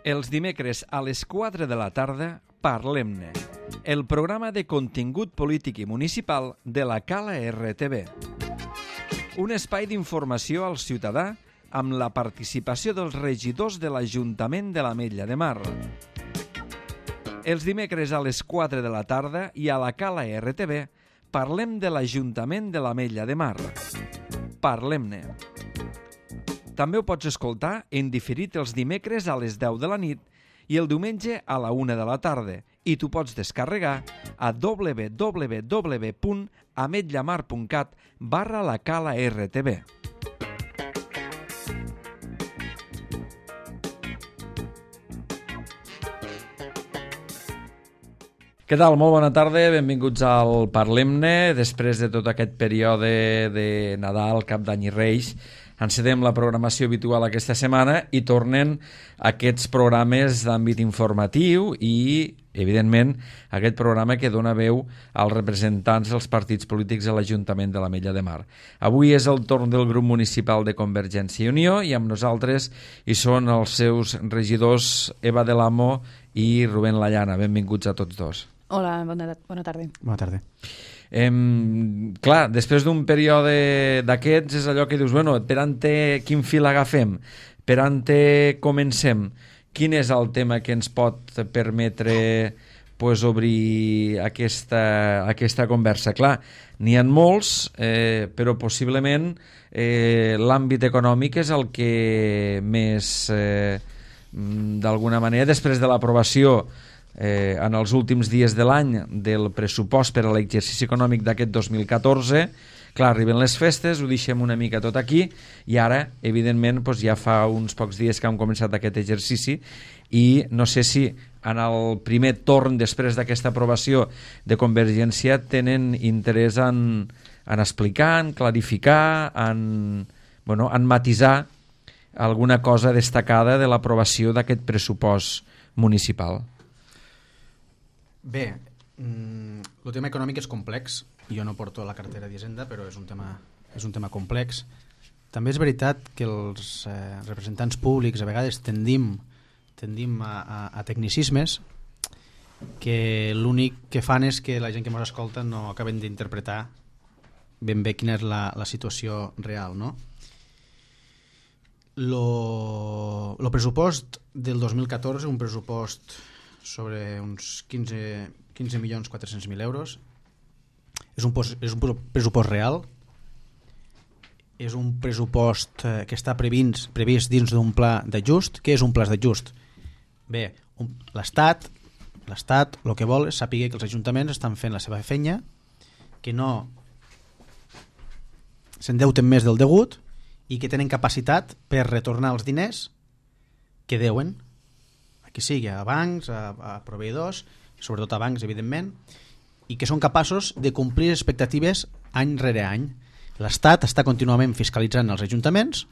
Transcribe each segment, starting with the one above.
Els dimecres a les 4 de la tarda, Parlem-ne, el programa de contingut polític i municipal de la Cala RTV. Un espai d'informació al ciutadà amb la participació dels regidors de l'Ajuntament de l'Ametlla de Mar. Els dimecres a les 4 de la tarda i a la Cala RTV parlem de l'Ajuntament de l'Ametlla de Mar. Parlem-ne. També ho pots escoltar en diferit els dimecres a les 10 de la nit i el diumenge a la 1 de la tarda i t'ho pots descarregar a www.ametllamar.cat/la Cala RTV. Què tal? Molt bona tarda, benvinguts al Parlem-ne. Després de tot aquest període de Nadal, Cap d'Any i Reis, encedem la programació habitual aquesta setmana i tornen aquests programes d'àmbit informatiu i, evidentment, aquest programa que dona veu als representants dels partits polítics de l'Ajuntament de l'Ametlla de Mar. Avui és el torn del grup municipal de Convergència i Unió i amb nosaltres hi són els seus regidors Eva de l'Amo i Rubén Lallana. Benvinguts a tots dos. Hola, bona tarda. Bona tarda. Clar, després d'un període d'aquests és allò que dius, bueno, per on quin fil agafem? Per on comencem? Quin és el tema que ens pot permetre obrir aquesta conversa? Clar, n'hi ha molts, però possiblement l'àmbit econòmic és el que més, d'alguna manera, després de l'aprovació en els últims dies de l'any del pressupost per a l'exercici econòmic d'aquest 2014, clar, arriben les festes, ho deixem una mica tot aquí i ara, evidentment, ja fa uns pocs dies que hem començat aquest exercici i no sé si en el primer torn després d'aquesta aprovació de Convergència tenen interès en explicar, en clarificar, en matisar alguna cosa destacada de l'aprovació d'aquest pressupost municipal. Bé, el tema econòmic és complex. Jo no porto la cartera d'Hisenda, però és un tema complex. També és veritat que els representants públics a vegades tendim a tecnicismes que l'únic que fan és que la gent que ens escolta no acaben d'interpretar ben bé quina és la situació real, no? El pressupost del 2014, un pressupost sobre uns 15.400.000 euros, és un pressupost real, és un pressupost que està previst dins d'un pla d'ajust. Què és un pla d'ajust? Bé, l'Estat el que vol és saber que els ajuntaments estan fent la seva feina, que no s'endeuten més del degut i que tenen capacitat per retornar els diners que deuen, que sigui a bancs, a proveïdors, sobretot a bancs, evidentment, i que són capaços de complir expectatives any rere any. L'Estat està contínuament fiscalitzant els ajuntaments,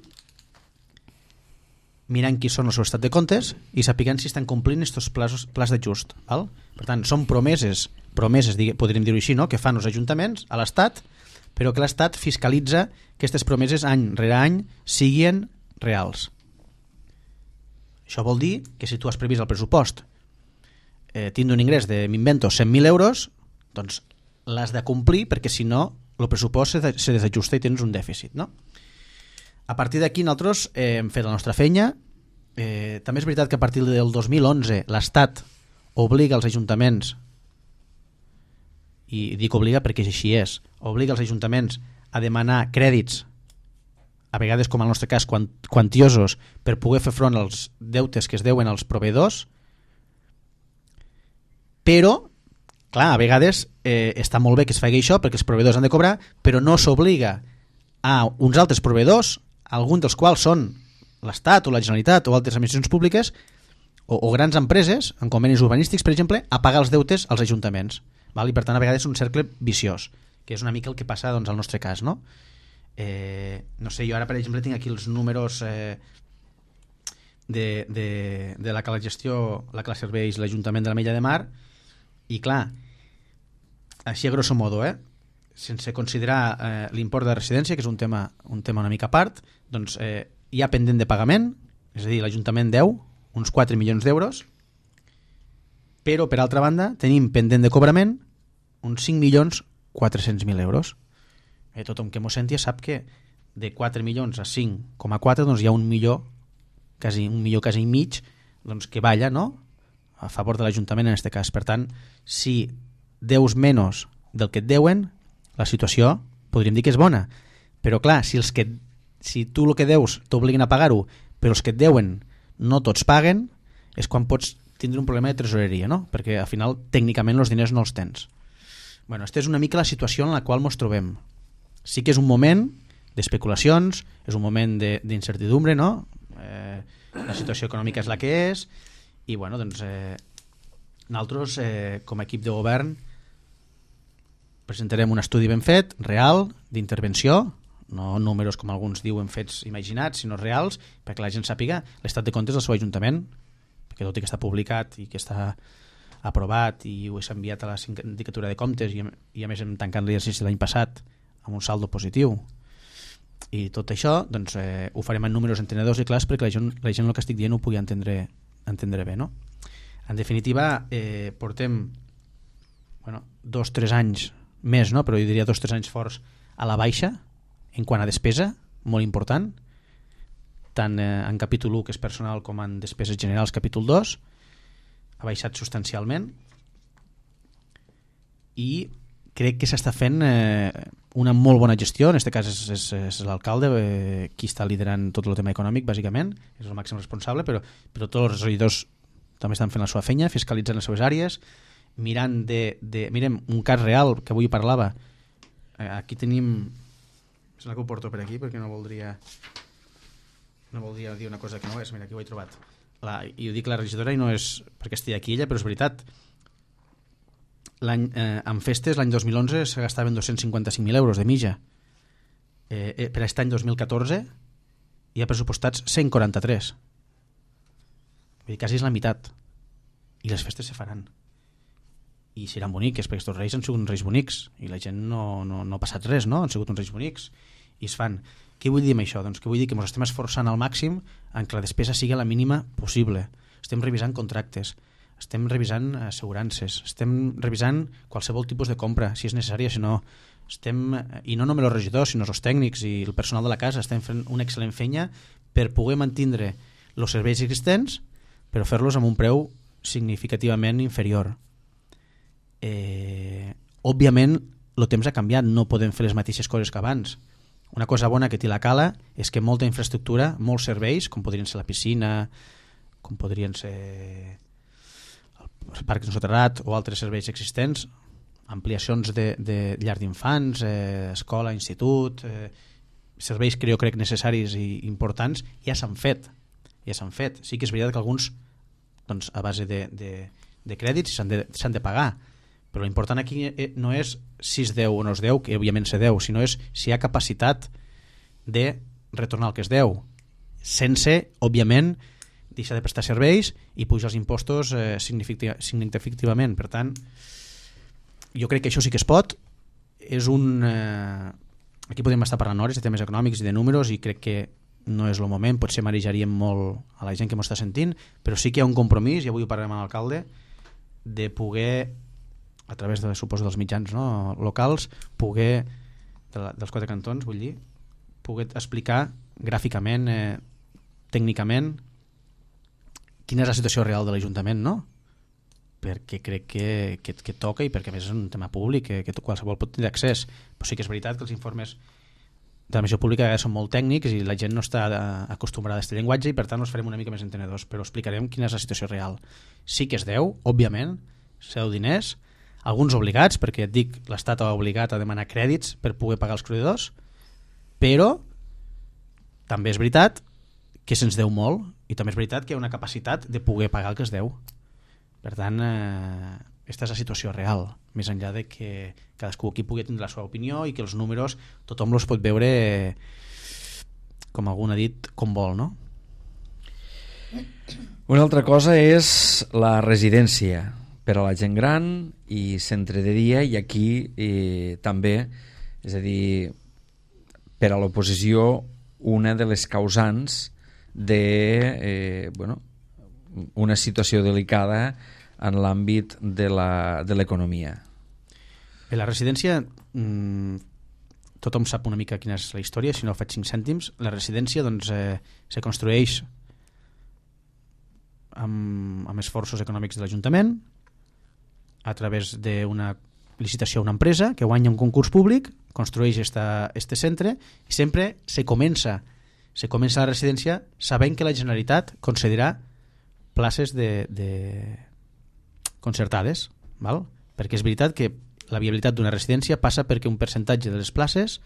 mirant qui són el seu estat de comptes i sapiguant si estan complint aquests plans d'ajust. Per tant, són promeses podríem dir-ho així, no?, que fan els ajuntaments a l'Estat, però que l'Estat fiscalitza que aquestes promeses any rere any siguin reals. Això vol dir que si tu has previst el pressupost tindre un ingrés de, m'invento, 100.000 euros, doncs l'has de complir, perquè si no el pressupost se desajusta i tens un dèficit, no? A partir d'aquí nosaltres hem fet la nostra feina. També és veritat que a partir del 2011 l'Estat obliga els ajuntaments, i dic obliga perquè així és, obliga els ajuntaments a demanar crèdits, a vegades, com en el nostre cas, quantiosos, per poder fer front als deutes que es deuen als proveïdors. Però, clar, a vegades està molt bé que es faci això perquè els proveïdors han de cobrar, però no s'obliga a uns altres proveïdors, alguns dels quals són l'Estat o la Generalitat o altres administracions públiques o grans empreses, en convenis urbanístics, per exemple, a pagar els deutes als ajuntaments. I per tant, a vegades és un cercle viciós, que és una mica el que passa al nostre cas, no? No sé, jo ara per exemple tinc aquí els números de la que la gestió, la que la serveix l'Ajuntament de l'Ametlla de Mar, i clar, així a grosso modo, sense considerar l'import de residència, que és un tema una mica a part, doncs hi ha pendent de pagament, és a dir, l'Ajuntament deu uns 4 milions d'euros, però per altra banda tenim pendent de cobrament uns 5.400.000 euros. Tothom que m'ho senti sap que de 4 milions a 5,4 doncs hi ha 1 milió, quasi i mig, doncs que balla, no?, a favor de l'Ajuntament en aquest cas. Per tant, si deus menys del que et deuen, la situació podríem dir que és bona. Però clar, si tu el que deus t'obliguen a pagar-ho, però els que et deuen no tots paguen, és quan pots tindre un problema de tresoreria, no? Perquè al final tècnicament els diners no els tens. Bueno, aquesta és una mica la situació en la qual ens trobem. Sí que és un moment d'especulacions, és un moment d'incertidumbre, no? La situació econòmica és la que és, i bueno, doncs nosaltres com a equip de govern presentarem un estudi ben fet, real, d'intervenció, no números com alguns diuen fets imaginats, sinó reals, perquè la gent sàpiga l'estat de comptes del seu Ajuntament, perquè tot i que està publicat i que està aprovat i ho s'ha enviat a la sindicatura de comptes i a més hem tancat l'exercici l'any passat amb un saldo positiu i tot això doncs, ho farem en números entenedors i clars perquè la gent el que estic dient ho pugui entendre bé, no? En definitiva, portem 2-3 anys més, no? Però jo diria 2-3 anys forts a la baixa en quant a despesa, molt important, tant en capítol 1, que és personal, com en despeses generals, capítol 2, ha baixat substancialment i crec que s'està fent una molt bona gestió. En aquest cas és l'alcalde qui està liderant tot el tema econòmic, bàsicament, és el màxim responsable, però tots els regidors també estan fent la seva feina, fiscalitzant les seves àrees, mirant mirem un cas real que avui parlava. Aquí tenim, sembla que ho porto per aquí perquè no voldria dir una cosa que no és. Mira, aquí ho he trobat. I ho dic la regidora i no és perquè estigui aquí ella, però és veritat. En festes l'any 2011 se gastaven 255.000 euros de mitja. Per aquest any 2014 hi ha pressupostats 143. Vull dir, quasi és la meitat. I les festes se faran i seran boniques, perquè aquests reis han sigut uns reis bonics i la gent no ha passat res, no? Han sigut uns reis bonics i es fan. Què vull dir amb això? Doncs que vull dir que ens estem esforçant al màxim en que la despesa sigui la mínima possible. Estem revisant contractes, estem revisant assegurances, estem revisant qualsevol tipus de compra, si és necessària, si no. I no només els regidors, sinó els tècnics i el personal de la casa estem fent una excel·lent feina per poder mantindre els serveis existents, però fer-los amb un preu significativament inferior. Òbviament el temps ha canviat, no podem fer les mateixes coses que abans. Una cosa bona que té la Cala és que molta infraestructura, molts serveis, com podrien ser la piscina, com podrien ser el parc de soterrat o altres serveis existents, ampliacions de llar d'infants, escola, institut, serveis que jo crec necessaris i importants, ja s'han fet. Sí que és veritat que alguns doncs, a base de crèdits s'han de pagar, però l'important aquí no és si es deu o no es deu, que òbviament se deu, sinó és si hi ha capacitat de retornar el que es deu, sense, òbviament, deixar de prestar serveis i pujar els impostos significativament. Per tant, jo crec que això sí que es pot. Aquí podem estar parlant hores de temes econòmics i de números i crec que no és el moment, potser marejaríem molt a la gent que m'ho està sentint, però sí que hi ha un compromís, i avui ho parlarem amb l'alcalde, de poder, a través de, suposo, dels mitjans locals, poder, dels 4 cantons, vull dir, poder explicar gràficament, tècnicament, quina és la situació real de l'Ajuntament, no? Perquè crec que toca i perquè a més és un tema públic que qualsevol pot tenir accés, però sí que és veritat que els informes de la missió pública són molt tècnics i la gent no està acostumbrada a aquest llenguatge i per tant els farem una mica més entenedors, però explicarem quina és la situació real. Sí que es deu, òbviament, se deu diners, alguns obligats, perquè et dic, l'Estat ha obligat a demanar crèdits per poder pagar els proveïdors, però també és veritat que se'ns deu molt i també és veritat que hi ha una capacitat de poder pagar el que es deu. Per tant, aquesta és la situació real, més enllà de que cadascú aquí pugui tindre la seva opinió i que els números tothom els pot veure, com algú ha dit, com vol, no? Una altra cosa és la residència per a la gent gran i centre de dia, i aquí també, és a dir, per a l'oposició, una de les causants de una situació delicada en l'àmbit de l'economia. La residència, tothom sap una mica quina és la història, si no faig 5 cèntims. La residència doncs, se construeix amb esforços econòmics de l'Ajuntament a través d'una licitació a una empresa que guanya un concurs públic, construeix este centre i sempre se comença la residència sabent que la Generalitat concedirà places concertades, val? Perquè és veritat que la viabilitat d'una residència passa perquè un percentatge de les places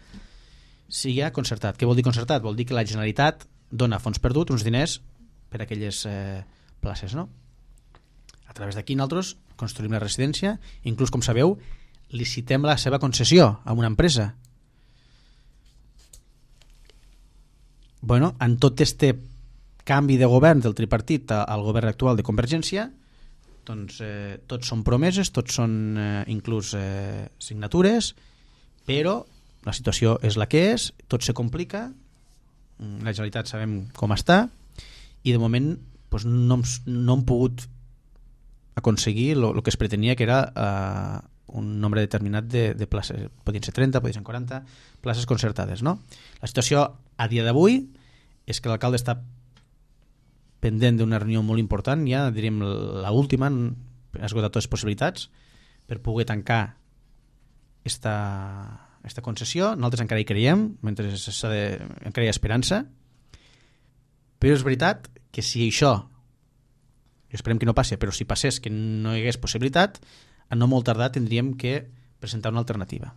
sigui concertat. Què vol dir concertat? Vol dir que la Generalitat dona a fons perdut uns diners per a aquelles places, no? A través d'aquí nosaltres construïm la residència, inclús, com sabeu, licitem la seva concessió a una empresa. Bueno, en tot este canvi de govern del tripartit al govern actual de Convergència, doncs tots són promeses, tots són inclús signatures, però la situació és la que és, tot se complica, la Generalitat sabem com està, i de moment doncs, no hem pogut aconseguir el que es pretenia, que era un nombre determinat de places, podien ser 30, podien ser 40 places concertades, no? La situació a dia d'avui és que l'alcalde està pendent d'una reunió molt important, ja diríem l'última, ha esgotat totes les possibilitats per poder tancar esta concessió. Nosaltres encara hi creiem, encara hi ha esperança, però és veritat que si això, i esperem que no passi, però si passés que no hi hagués possibilitat, a no molt tardar tindríem que presentar una alternativa,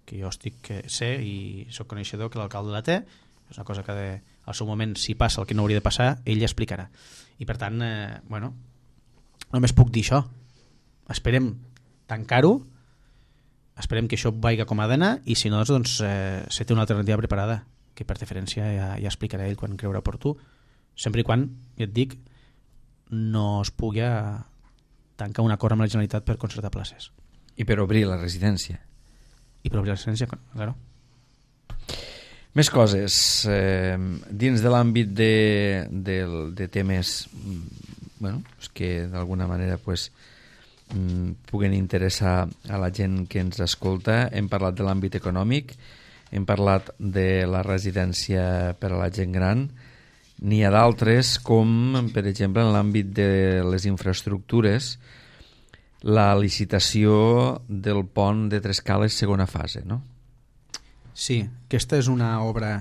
que jo sé i soc coneixedor que l'alcalde la té, és una cosa que al seu moment, si passa el que no hauria de passar, ell ja explicarà. I per tant, bueno, només puc dir això. Esperem tancar-ho, esperem que això vagi com ha d'anar, i si no, doncs, se té una alternativa preparada, que per diferència ja explicarà ell quan creurà oportú, sempre i quan, ja et dic, no es pugui tancar un acord amb la Generalitat per concertar places. I per obrir la residència. I per obrir la residència, claro. Més coses. Dins de l'àmbit de temes que d'alguna manera puguen interessar a la gent que ens escolta, hem parlat de l'àmbit econòmic, hem parlat de la residència per a la gent gran. N'hi ha d'altres, com per exemple en l'àmbit de les infraestructures, la licitació del pont de Trescales segona fase, no? Sí, aquesta és una obra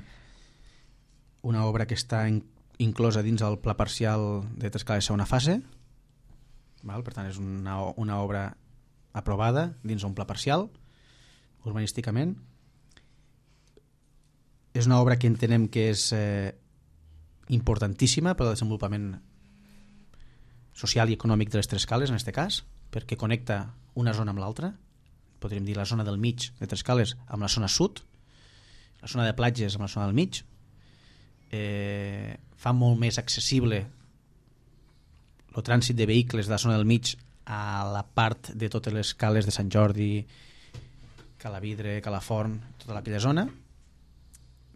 que està inclosa dins el pla parcial de Trescales segona fase, val? Per tant és una obra aprovada dins un pla parcial urbanísticament. És una obra que entenem que és importantíssima per al desenvolupament social i econòmic de les Trescales, en aquest cas, perquè connecta una zona amb l'altra, podríem dir la zona del mig de Trescales amb la zona sud, la zona de platges amb la zona del mig, fa molt més accessible el trànsit de vehicles de la zona del mig a la part de totes les cales de Sant Jordi, Calavidre, Calaforn, tota aquella zona,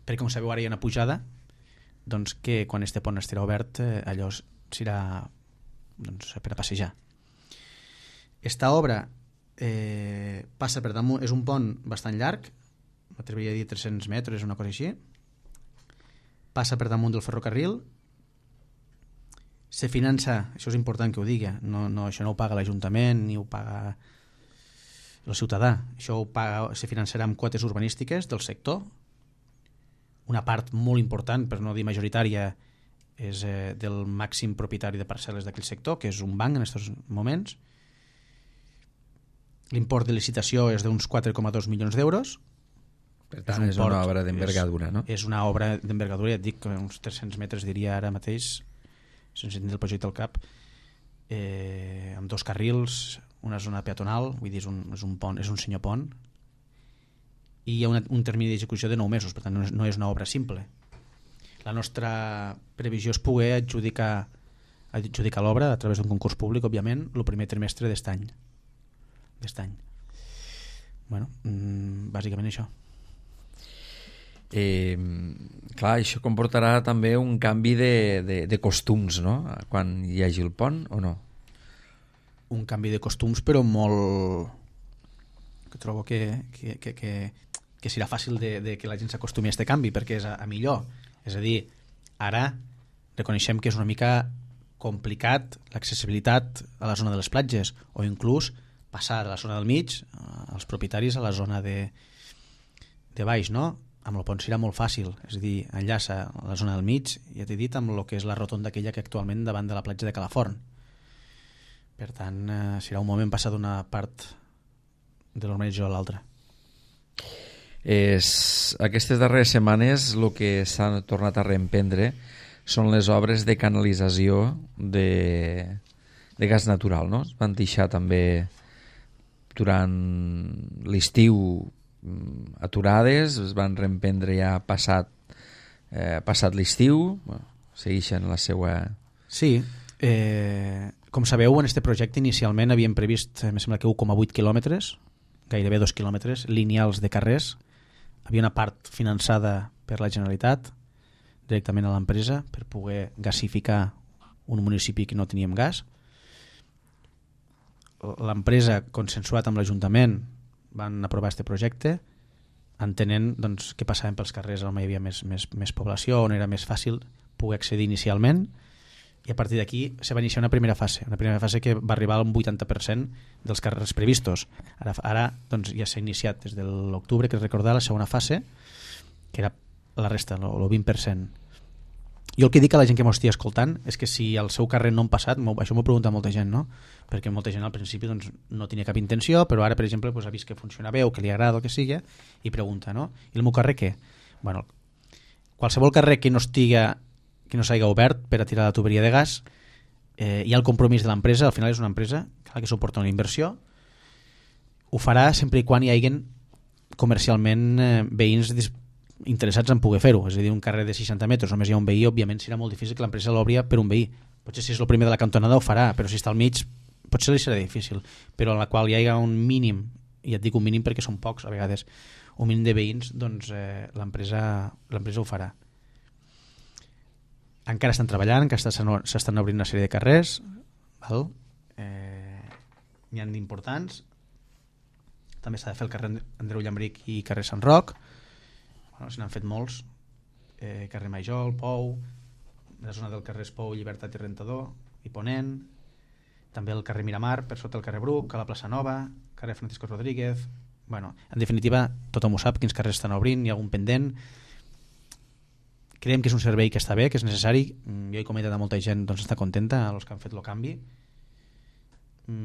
perquè com sabeu ara hi ha una pujada, doncs que quan este pont estarà obert allò serà per a passejar. Esta obra passa per damunt, és un pont bastant llarg, m'atreviria a dir 300 metres, una cosa així, passa per damunt del ferrocarril, se finança, això és important que ho digui, això no ho paga l'Ajuntament ni ho paga el ciutadà, això se finançarà amb quotes urbanístiques del sector. Una part molt important, per no dir majoritària, és del màxim propietari de parcel·les d'aquell sector, que és un banc en aquests moments. L'import de licitació és d'uns 4,2 milions d'euros. Per tant, és una obra d'envergadura, no? És una obra d'envergadura, ja et dic que uns 300 metres diria ara mateix, sense tenir el projecte al cap, amb 2 carrils, una zona peatonal, vull dir, és un pont, és un senyor pont, i hi ha un termini d'execució de 9 mesos, per tant no és una obra simple. La nostra previsió és poder adjudicar l'obra a través d'un concurs públic, òbviament, el primer trimestre d'est any. Bueno, bàsicament això. Clar, això comportarà també un canvi de costums, no? Quan hi hagi el pont, o no? Un canvi de costums, però molt... que trobo que serà fàcil de que la gent s'acostumi a aquest canvi, perquè és a millor. És a dir, ara reconeixem que és una mica complicat l'accessibilitat a la zona de les platges, o inclús passar de la zona del mig als propietaris a la zona de baix, no? Amb el pont serà molt fàcil, és a dir, enllaça a la zona del mig, ja t'he dit, amb el que és la rotonda aquella que actualment davant de la platja de Calaforn. Per tant, serà un moment passar d'una part de l'organització a l'altra. Aquestes darreres setmanes el que s'ha tornat a reemprendre són les obres de canalització de gas natural, no? Es van deixar també durant l'estiu aturades, es van reemprendre ja passat l'estiu, segueixen la seva... Sí, com sabeu, en aquest projecte inicialment havíem previst, em sembla que 1,8 quilòmetres, gairebé 2 quilòmetres lineals de carrers. Havia una part finançada per la Generalitat directament a l'empresa per poder gasificar un municipi que no teníem gas. L'empresa, consensuat amb l'Ajuntament, van aprovar aquest projecte entenent doncs, que passaven pels carrers on hi havia més població, on era més fàcil poder accedir inicialment, i a partir d'aquí se va iniciar una primera fase que va arribar al 80% dels carrers previstos. Ara doncs, ja s'ha iniciat des de l'octubre, que recordar, la segona fase, que era la resta, el 20%. Jo el que dic a la gent que m'ho estigui escoltant és que si al seu carrer no han passat, això m'ho pregunta molta gent, no? Perquè molta gent al principi doncs, no tenia cap intenció, però ara, per exemple, doncs, ha vist que funciona bé o que li agrada o que sigui, i pregunta, no? I el meu carrer què? Bueno, qualsevol carrer que no s'hagi obert per a tirar la tuberia de gas, hi ha el compromís de l'empresa, al final és una empresa que suporta una inversió, ho farà sempre i quan hi hagin comercialment veïns interessats en poder fer-ho. És a dir, un carrer de 60 metres només hi ha un veí, òbviament serà molt difícil que l'empresa l'obri per un veí. Potser si és el primer de la cantonada ho farà, però si està al mig potser li serà difícil, però en la qual hi hagi un mínim, i et dic un mínim perquè són pocs a vegades, un mínim de veïns, doncs l'empresa ho farà. Encara estan treballant, encara s'estan obrint una sèrie de carrers, val? N'hi ha d'importants. També s'ha de fer el carrer Andreu Llambric i carrer Sant Roc. Se n'han fet molts, carrer Major, Pou, la zona del carrer Pou, Llibertat i Rentador i Ponent, també el carrer Miramar per sota el carrer Bruc, a la plaça Nova, carrer Francisco Rodríguez. Bueno, en definitiva, tothom ho sap, quins carrers estan obrint, hi ha algun pendent. Creiem que és un servei que està bé, que és necessari. Jo he comentat a molta gent, doncs està contenta, els que han fet el canvi.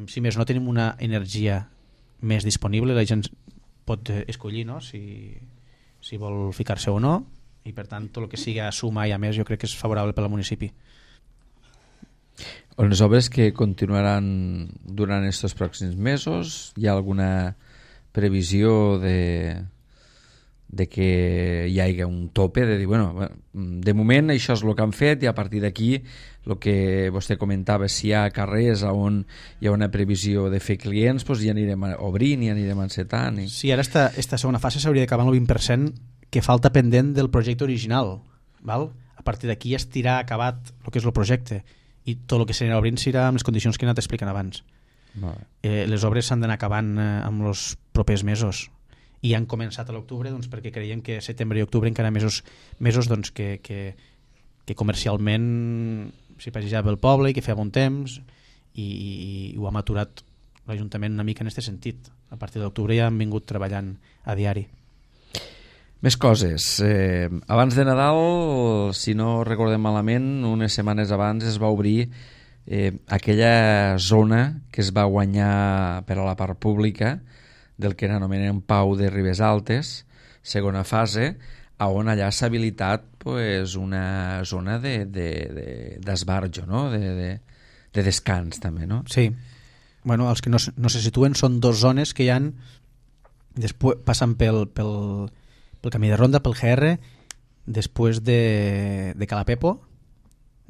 Si més no, tenim una energia més disponible, la gent pot escollir, no?, si vol ficar-se o no, i per tant tot el que sigui a sumar i a més jo crec que és favorable per al municipi. Les obres que continuaran durant aquests pròxims mesos, hi ha alguna previsió de que hi hagi un tope, de dir, bueno, de moment això és el que han fet i a partir d'aquí el que vostè comentava, si hi ha carrers on hi ha una previsió de fer clients, doncs ja anirem obrint i anirem encetant. Sí, ara esta segona fase s'hauria d'acabar amb el 20% que falta pendent del projecte original, val? A partir d'aquí ja estirà acabat el que és el projecte i tot el que s'anirà obrint serà amb les condicions que he anat explicant abans. Les obres s'han d'anar acabant amb els propers mesos i han començat a l'octubre doncs, perquè creiem que setembre i octubre encara mesos doncs, que comercialment s'hi passejava el poble i que feia bon temps i ho ha maturat l'Ajuntament una mica en aquest sentit. A partir d'octubre ja han vingut treballant a diari. Més coses. Abans de Nadal, si no recordem malament, unes setmanes abans es va obrir aquella zona que es va guanyar per a la part pública del que anomenem Pau de Ribes Altes, segona fase, on allà s'ha habilitat pues, una zona d'esbarjo, no? de descans també, no? Sí. Bueno, els que no se situen són dos zones que hi han després, passant pel camí de ronda, pel GR, després de Calapepo,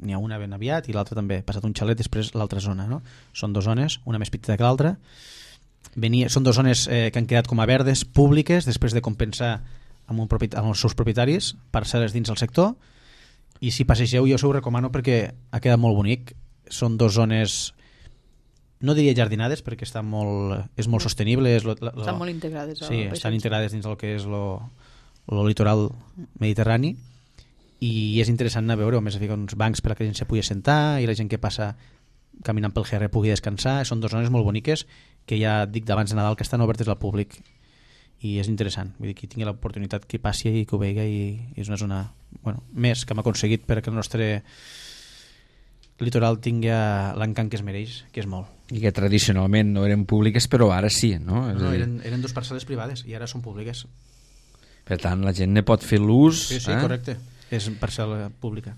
n'hi ha una ben aviat i l'altra també, passat un xalet, després l'altra zona, no? Són dues zones, una més petita que l'altra. Són dues zones que han quedat com a verdes, públiques, després de compensar amb els seus propietaris, parcel·les dins del sector, i si passegeu jo us ho recomano perquè ha quedat molt bonic. Són 2 zones, no diria jardinades perquè és molt sostenible, estan molt integrades sí, estan integrades dins del que és el litoral mediterrani, i és interessant anar a veure, a més hi ha uns bancs per a que la gent se pugui assentar i la gent que passa caminant pel GR pugui descansar. Són 2 zones molt boniques que ja dic d'abans de Nadal que estan obertes al públic i és interessant, vull dir, qui tingui l'oportunitat que passi i que ho vegi, i és una zona més que hem aconseguit perquè el nostre litoral tingui l'encant que es mereix, que és molt. I que tradicionalment no eren públiques, però ara sí, no? No, eren 2 parcel·les privades i ara són públiques. Per tant, la gent ne pot fer l'ús. Sí, correcte. És parcel·la pública.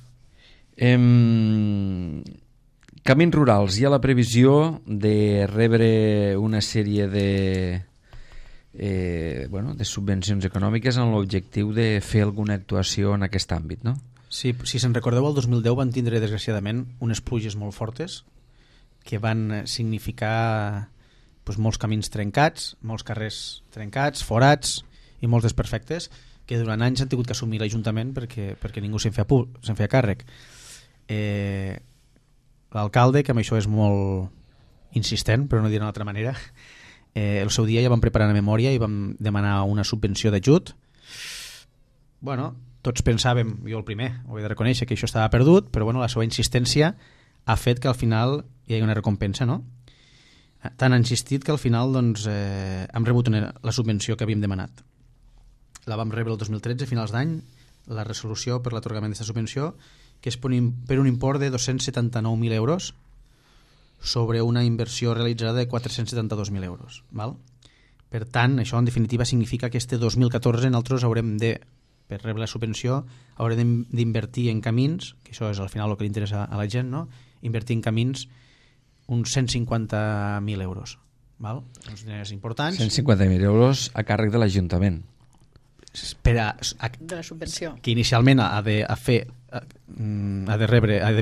Camins Rurals, hi ha la previsió de rebre una sèrie de subvencions econòmiques amb l'objectiu de fer alguna actuació en aquest àmbit, no? Sí, si se'n recordeu, el 2010 van tindre, desgraciadament, unes pluges molt fortes que van significar molts camins trencats, molts carrers trencats, forats i molts desperfectes, que durant anys han tingut que assumir l'Ajuntament perquè ningú se'n feia càrrec. L'alcalde, que amb això és molt insistent, però no dir d'una altra manera, el seu dia ja vam preparar una memòria i vam demanar una subvenció d'ajut. Tots pensàvem, jo el primer, ho he de reconèixer, que això estava perdut, però la seva insistència ha fet que al final hi hagi una recompensa, no? Tant ha insistit que al final hem rebut la subvenció que havíem demanat. La vam rebre el 2013, a finals d'any, la resolució per l'atorgament d'aquesta subvenció, que és per un import de 279.000 euros sobre una inversió realitzada de 472.000 euros. Val? Per tant, això en definitiva significa que este 2014 nosaltres haurem de, per rebre la subvenció, haurem d'invertir en camins, que això és al final el que li interessa a la gent, no? Invertir en camins uns 150.000 euros. Val? Uns diners importants. 150.000 euros a càrrec de l'Ajuntament. De la subvenció. Que inicialment ha de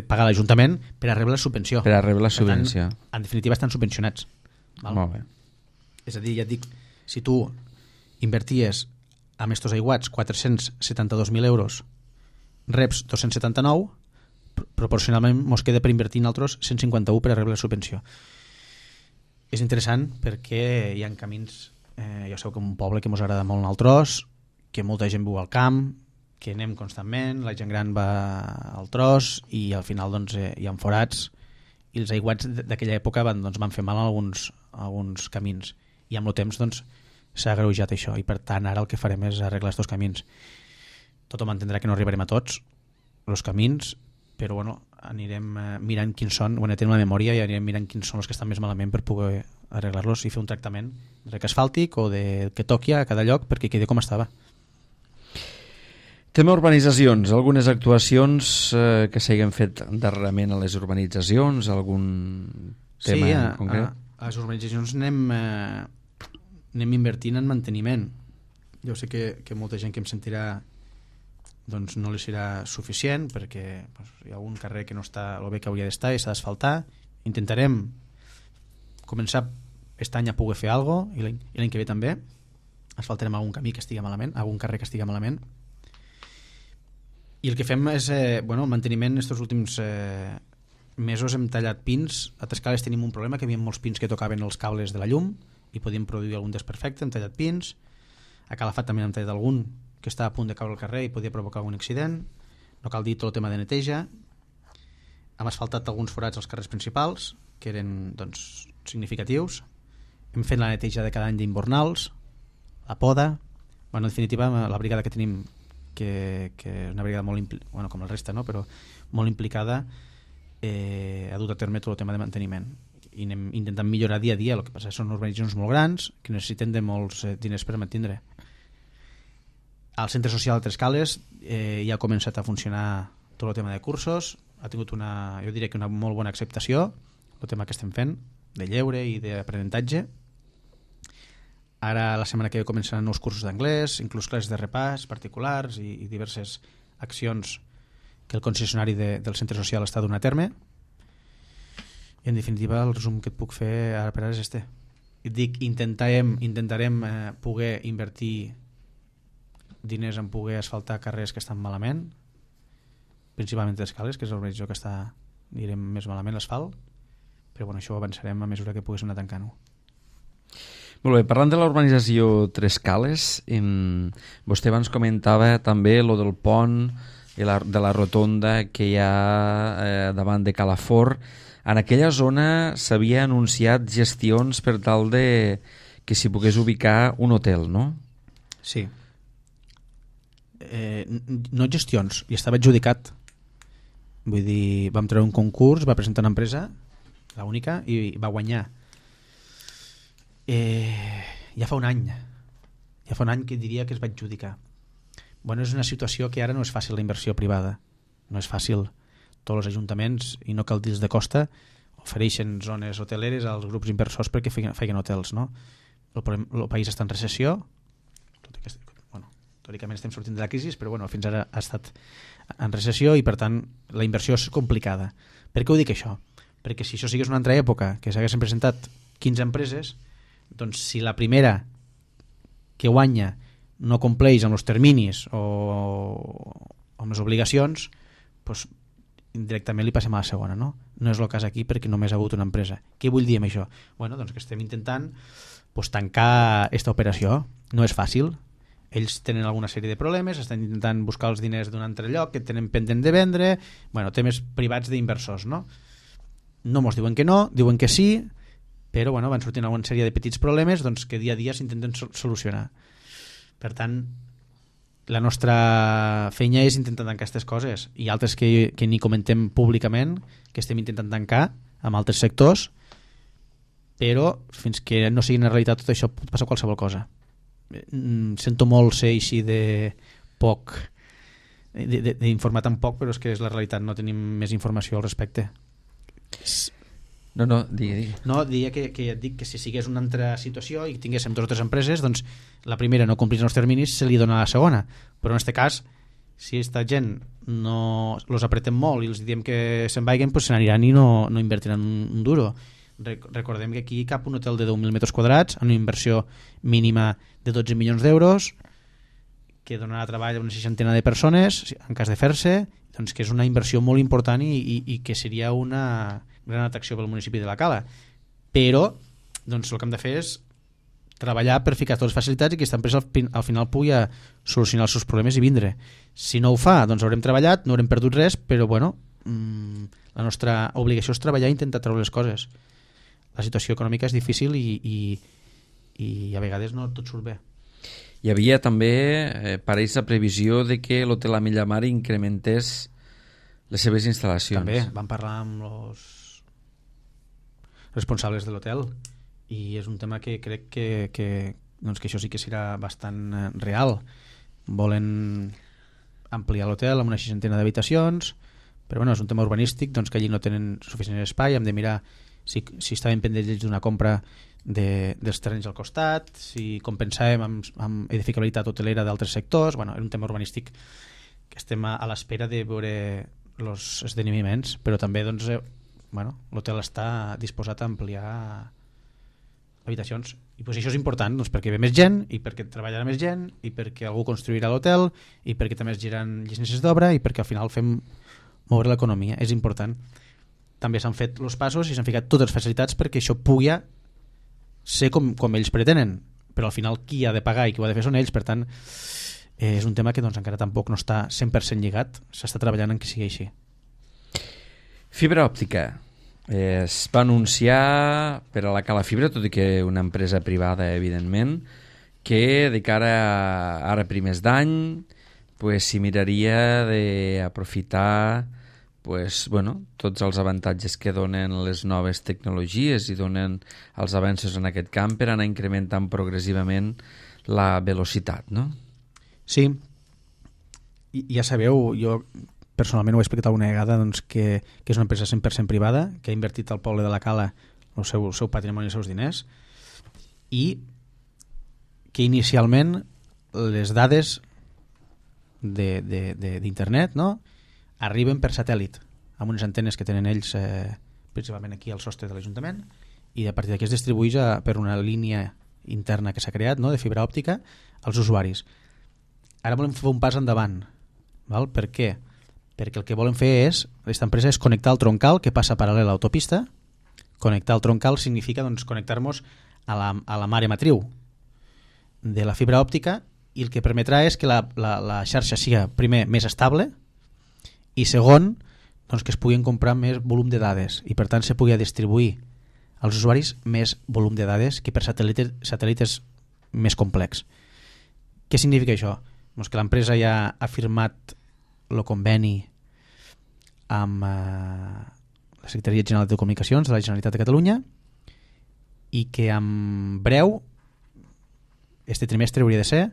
pagar l'Ajuntament per a rebre la subvenció. Per a rebre la subvenció. Per tant, en definitiva estan subvencionats. Val? Molt bé. És a dir, ja et dic, si tu inverties amb estos aiguats 472.000 euros, reps 279, proporcionalment mos queda per invertir en altres 151 per a rebre la subvenció. És interessant perquè hi ha camins, ja sabeu que un poble que mos agrada molt anar al tros, que molta gent viu al camp, que anem constantment, la gent gran va al tros i al final hi ha forats i els aiguats d'aquella època van fer mal a alguns camins i amb el temps s'ha agreujat això i per tant ara el que farem és arreglar aquests camins. Tothom entendrà que no arribarem a tots els camins, però anirem mirant quins són, tenim la memòria i anirem mirant quins són els que estan més malament per poder arreglar-los i fer un tractament de rec asfàltic o de que toqui a cada lloc perquè quedi com estava. Tema urbanitzacions, algunes actuacions que s'hagin fet darrerament a les urbanitzacions, algun tema concret? Sí, a les urbanitzacions anem invertint en manteniment. Jo sé que molta gent que em sentirà no li serà suficient perquè hi ha un carrer que no està el bé que hauria d'estar i s'ha d'asfaltar. Intentarem començar aquest any a poder fer alguna cosa i l'any que ve també asfaltarem algun camí que estigui malament, algun carrer que estigui malament. I el que fem és manteniment. Estos últims mesos hem tallat pins. A Trescales tenim un problema, que hi havia molts pins que tocaven els cables de la llum i podíem produir algun desperfecte, hem tallat pins. A Calafat també hem tallat algun que està a punt de caure al carrer i podia provocar algun accident. No cal dir tot el tema de neteja. Hem asfaltat alguns forats als carrers principals que eren significatius. Hem fet la neteja de cada any d'imbornals, la poda. En definitiva, la brigada que tenim, que és una brigada molt com el resta, no? Però molt implicada, ha dut a terme tot el tema de manteniment i anem intentant millorar dia a dia. El que passa són urbanitzacions molt grans que necessiten de molts diners per mantenir. Al centre social de Trescales ja ha començat a funcionar tot el tema de cursos, ha tingut jo diria que una molt bona acceptació el tema que estem fent de lleure i d'aprenentatge. Ara la setmana que ve començaran nous cursos d'anglès, inclús classes de repàs particulars i diverses accions que el concessionari del centre social està donant a terme. I en definitiva el resum que et puc fer ara per ara és este. Et dic, intentarem poder invertir diners en poder asfaltar carrers que estan malament, principalment d'escales, que és l'organització que està, direm, més malament l'asfalt, però bueno, això ho avançarem a mesura que poguéssim anar tancant-ho. Molt bé, parlant de la urbanització Tres Cales, vostè abans comentava també lo del pont i de la rotonda que hi ha davant de Calafort. En aquella zona s'havia anunciat gestions per tal de que s'hi pogués ubicar un hotel, no? Sí. No gestions, i estava adjudicat. Vull dir, vam treure un concurs, va presentar una empresa, l'única, i va guanyar. Ja fa un any que diria que es va adjudicar. Bueno, és una situació que ara no és fàcil la inversió privada, no és fàcil. Tots els ajuntaments, i no cal dir-los de costa, ofereixen zones hoteleres als grups inversors perquè feien hotels, no? El país està en recessió, tot i que, bueno, teòricament estem sortint de la crisi, però bueno, fins ara ha estat en recessió i per tant la inversió és complicada. Per què ho dic això? Perquè si això sigués una altra època, que s'haguessin presentat 15 empreses, doncs si la primera que guanya no compleix amb els terminis o amb les obligacions, doncs indirectament li passem a la segona, no? No és el cas aquí perquè només ha hagut una empresa. Què vull dir amb això? Bueno, doncs que estem intentant tancar aquesta operació. No és fàcil. Ells tenen alguna sèrie de problemes, estan intentant buscar els diners d'un altre lloc que tenen pendent de vendre, bueno, temes privats d'inversors, no? No mos diuen que no, diuen que sí, però bueno, van sortint alguna sèrie de petits problemes doncs, que dia a dia s'intenten solucionar. Per tant, la nostra feina és intentar tancar aquestes coses i altres que ni comentem públicament, que estem intentant tancar amb altres sectors, però fins que no sigui una realitat tot això pot passar qualsevol cosa. Sento molt ser així de poc, d'informar tan poc, però és que és la realitat, no tenim més informació al respecte. No, digui. No, diria que et dic que si sigués una altra situació i tinguéssim dues o tres empreses, doncs la primera no complís els terminis, se li dona a la segona. Però en aquest cas, si aquesta gent no els apretem molt i els diem que se'n vagin, doncs se n'aniran i no invertiran un duro. Recordem que aquí cap un hotel de 10.000 metres quadrats amb una inversió mínima de 12 milions d'euros que donarà treball a una 60 de persones en cas de fer-se, doncs que és una inversió molt important i que seria una gran atracció pel municipi de la Cala. Però doncs, el que hem de fer és treballar per ficar totes les facilitats i que aquesta empresa al final pugui solucionar els seus problemes i vindre. Si no ho fa, doncs haurem treballat, no haurem perdut res, però bueno, la nostra obligació és treballar i intentar treure les coses. La situació econòmica és difícil i a vegades no tot surt bé. Hi havia també, pareix la previsió de que l'hotel a Millamar incrementés les seves instal·lacions. També vam parlar amb els responsables de l'hotel i és un tema que crec que això sí que serà bastant real. Volen ampliar l'hotel amb una 60 d'habitacions, però bueno, és un tema urbanístic, doncs que allí no tenen suficient espai, hem de mirar si estaven pendents d'una compra dels terrenys al costat, si compensàvem amb edificabilitat hotelera d'altres sectors. Bueno, és un tema urbanístic que estem a l'espera de veure els esdeveniments, però també doncs, l'hotel està disposat a ampliar habitacions i doncs això és important doncs, perquè ve més gent i perquè treballarà més gent i perquè algú construirà l'hotel i perquè també es giran llicències d'obra i perquè al final fem moure l'economia. És important. També s'han fet els passos i s'han ficat totes les facilitats perquè això pugui ser com ells pretenen, però al final qui ha de pagar i qui ho ha de fer són ells. Per tant, és un tema que doncs, encara tampoc no està 100% lligat, s'està treballant en que sigui així. Fibra òptica. Es va anunciar per a la Cala Fibra, tot i que una empresa privada, evidentment, que de cara a ara primers d'any s'hi miraria d'aprofitar tots els avantatges que donen les noves tecnologies i donen els avenços en aquest camp per anar incrementant progressivament la velocitat, no? Sí, i ja sabeu, jo personalment ho he explicat alguna vegada, doncs, que és una empresa 100% privada, que ha invertit al poble de la Cala el seu patrimoni i els seus diners, i que inicialment les dades d'internet, no?, arriben per satèl·lit, amb unes antenes que tenen ells principalment aquí al sostre de l'Ajuntament, i a partir d'aquí es distribueix per una línia interna que s'ha creat, no?, de fibra òptica als usuaris. ara volem fer un pas endavant. Val? Per què? Perquè el que volem fer aquesta empresa és connectar el troncal que passa paral·lel a l'autopista. Connectar el troncal significa doncs, connectar-nos a la mare matriu de la fibra òptica, i el que permetrà és que la xarxa sigui, primer, més estable, i segon, doncs, que es puguin comprar més volum de dades i per tant se pugui distribuir als usuaris més volum de dades que per satèl·lit és més complex. Què significa això? Doncs que l'empresa ja ha firmat el conveni amb la Secretaria General de Comunicacions de la Generalitat de Catalunya i que en breu, este trimestre hauria de ser,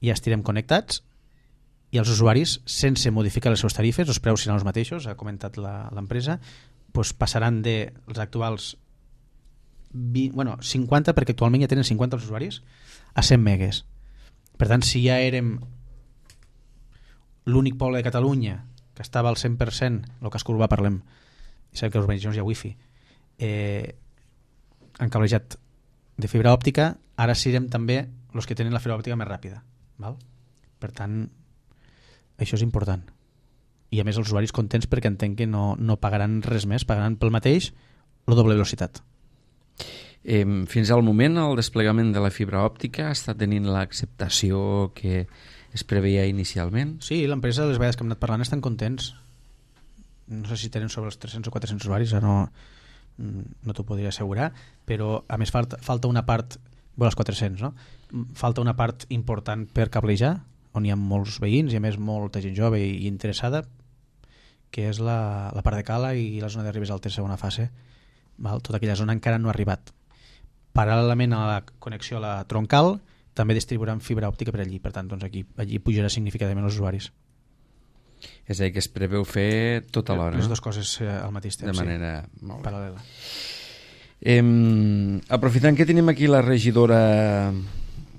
ja estirem connectats i els usuaris, sense modificar les seves tarifes, els preus seran els mateixos, ha comentat l'empresa, doncs passaran dels actuals 50, perquè actualment ja tenen 50 els usuaris, a 100 megues. Per tant, si ja érem l'únic poble de Catalunya que estava al 100%, el casc urbà parlem, i sabem que a les urbanitzacions hi ha wifi, encablejat de fibra òptica, ara serem també els que tenen la fibra òptica més ràpida. Val? Per tant, això és important. I a més els usuaris contents perquè entenc que no pagaran res més, pagaran pel mateix la doble velocitat. Fins al moment el desplegament de la fibra òptica està tenint l'acceptació que es preveia inicialment? Sí, l'empresa, les vegades que hem anat parlant, estan contents. No sé si tenen sobre els 300 o 400 usuaris, no t'ho podria assegurar, però a més falta una part, els 400, no? Falta una part important per cablejar, on hi ha molts veïns i a més molta gent jove i interessada, que és la part de Cala i la zona de Ribes Altes, segona fase. Val? Tota aquella zona encara no ha arribat. Paral·lelament a la connexió a la troncal, també distribuiran fibra òptica per allí. Per tant, doncs allí pujarà significativament els usuaris. És a dir, que es preveu fer tot alhora. Les dues coses al mateix temps, de manera molt paral·lela. Aprofitant que tenim aquí la regidora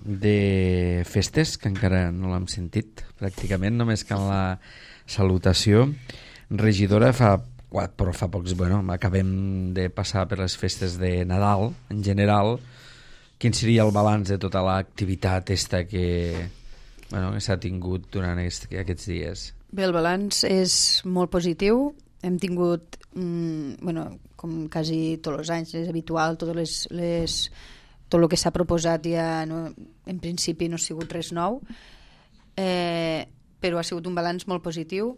de festes, que encara no l'hem sentit pràcticament, només que en la salutació. Regidora, fa pocs, acabem de passar per les festes de Nadal en general. Quin seria el balanç de tota l'activitat que s'ha tingut durant aquests dies? Bé, el balanç és molt positiu. Hem tingut, com quasi tots els anys, és habitual, tot el que s'ha proposat ja en principi no ha sigut res nou, però ha sigut un balanç molt positiu.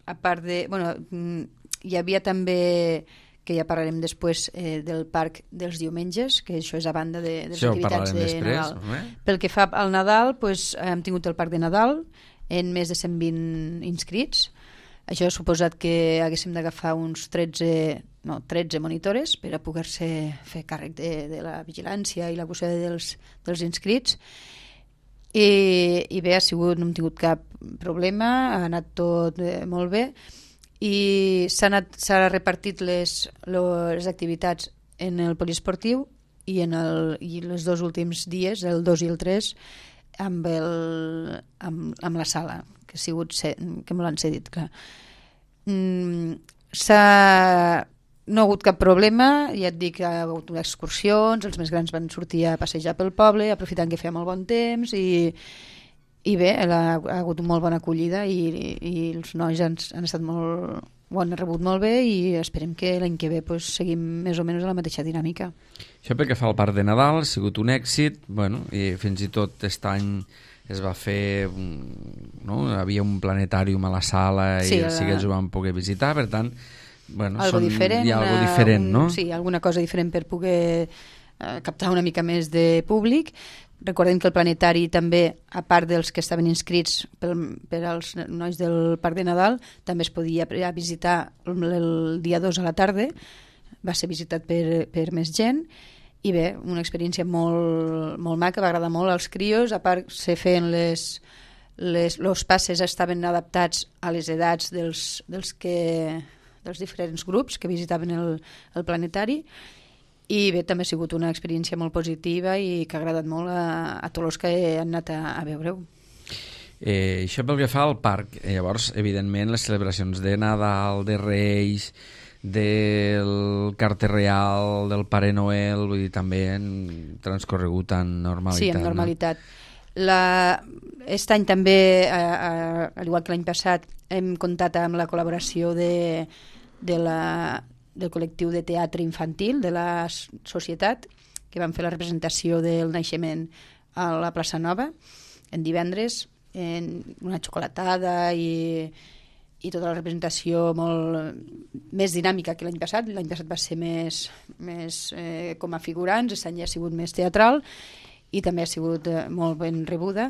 A part de... hi havia també, que ja parlarem després, del parc dels diumenges, que això és a banda de les activitats de Nadal. Pel que fa al Nadal, hem tingut el parc de Nadal en més de 120 inscrits. Això ha suposat que haguéssim d'agafar uns 13 monitores per a poder-se fer càrrec de la vigilància i la custòdia dels inscrits. I bé, no hem tingut cap problema, ha anat tot molt bé i s'ha repartit les activitats en el poliesportiu i els dos últims dies, el 2 i el 3, amb la sala, que ha sigut que me l'han cedit, clar. No ha hagut cap problema, ja et dic, ha hagut excursions, els més grans van sortir a passejar pel poble, aprofitant que feia molt bon temps, i bé, ha hagut una molt bona acollida i els nois han estat ho han rebut molt bé i esperem que l'any que ve seguim més o menys a la mateixa dinàmica. Això pel que fa al parc de Nadal ha sigut un èxit, i fins i tot aquest any es va fer, havia un planetàrium a la sala i els xiquets ho van poder visitar, per tant, hi ha algo diferent, no? Sí, alguna cosa diferent per poder captar una mica més de públic. Recordem que el planetari també, a part dels que estaven inscrits per als nois del Parc de Nadal, també es podia visitar el dia 2 a la tarda, va ser visitat per més gent, i bé, una experiència molt maca, va agradar molt als crios, a part se feien els passes estaven adaptats a les edats dels diferents grups que visitaven el planetari, i bé, també ha sigut una experiència molt positiva i que ha agradat molt a tots els que han anat a veure-ho. Això pel que fa al parc, llavors, evidentment, les celebracions de Nadal, de Reis, del Carter Real, del Pare Noel, vull dir, també han transcorregut en normalitat. Sí, en normalitat. Aquest any també, al igual que l'any passat, hem comptat amb la col·laboració del col·lectiu de teatre infantil de la societat, que van fer la representació del naixement a la plaça Nova en divendres, en una xocolatada i tota la representació molt més dinàmica que l'any passat. L'any passat va ser més com a figurants, aquest any ja ha sigut més teatral i també ha sigut molt ben rebuda.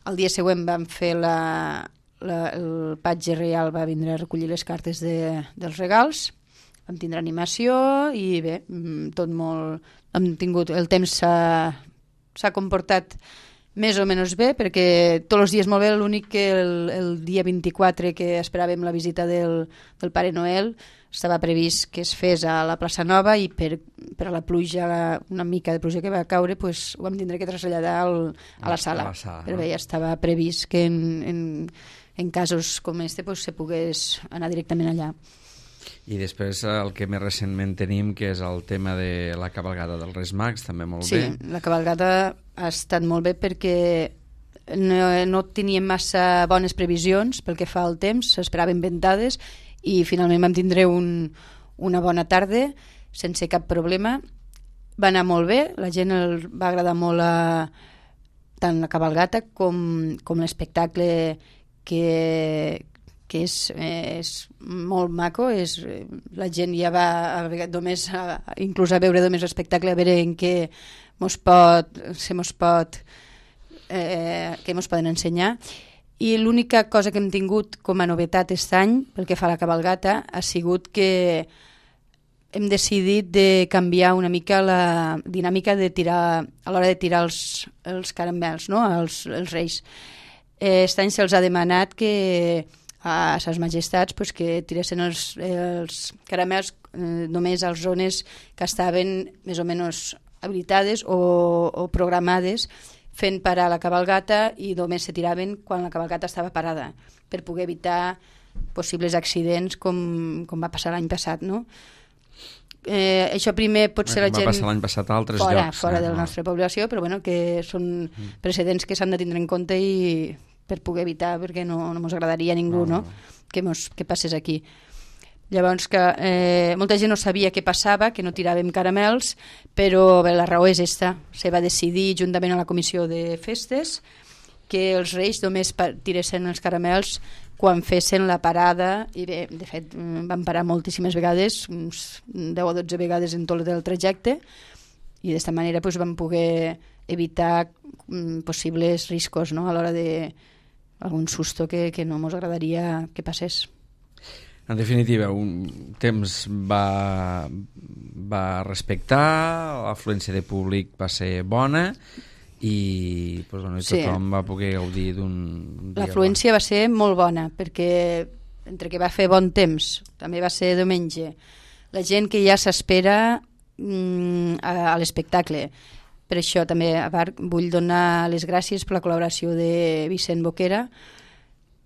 El dia següent vam fer el patge real, va vindre a recollir les cartes dels regals, vam tindre animació i bé, tot molt... Hem tingut... El temps s'ha comportat més o menys bé, perquè tots els dies molt bé, l'únic que el dia 24 que esperàvem la visita del Pare Noel estava previst que es fes a la plaça Nova i per a la pluja, una mica de pluja que va caure, pues, ho vam tindre que traslladar a la sala. Però bé, ja estava previst que en casos com este pues, se pogués anar directament allà. I després el que més recentment tenim, que és el tema de la cabalgada dels Reis Mags, també molt bé. Sí, la cabalgada ha estat molt bé perquè no teníem massa bones previsions pel que fa al temps, s'esperaven ventades i finalment vam tindre una bona tarda sense cap problema. Va anar molt bé, la gent va agradar molt tant la cabalgata com l'espectacle que és molt maco, la gent ja va només inclús a veure només l'espectacle, a veure en què què mos poden ensenyar. I l'única cosa que hem tingut com a novetat aquest any pel que fa a la cabalgata ha sigut que hem decidit de canviar una mica la dinàmica de tirar, a l'hora de tirar els caramels, no? els reis. Aquest any se'ls ha demanat que a ses majestats pues, que tiressin els caramels només a les zones que estaven més o menys habilitades o programades, fent parar la cabalgata i només se tiraven quan la cabalgata estava parada, per poder evitar possibles accidents com va passar l'any passat, no? Això primer pot ser la gent... Va passar l'any passat a altres llocs. Fora de la nostra població, però bueno, que són precedents que s'han de tindre en compte i per poder evitar, perquè no ens agradaria a ningú que passés aquí. Llavors, que molta gent no sabia què passava, que no tiràvem caramels, però bé, la raó és esta. Se va decidir, juntament a la comissió de festes, que els reis només tiressin els caramels quan fessin la parada, i bé, de fet, van parar moltíssimes vegades, uns 10 o 12 vegades en tot el trajecte, i d'esta manera doncs, vam poder evitar possibles riscos, no?, a l'hora d'algun susto que no ens agradaria que passés. En definitiva, un temps va respectar, l'afluència de públic va ser bona i tothom va poder gaudir d'un dia. L'afluència va ser molt bona, perquè entre que va fer bon temps, també va ser diumenge, la gent que ja s'espera a l'espectacle. Per això també, a part, vull donar les gràcies per la col·laboració de Vicent Boquera.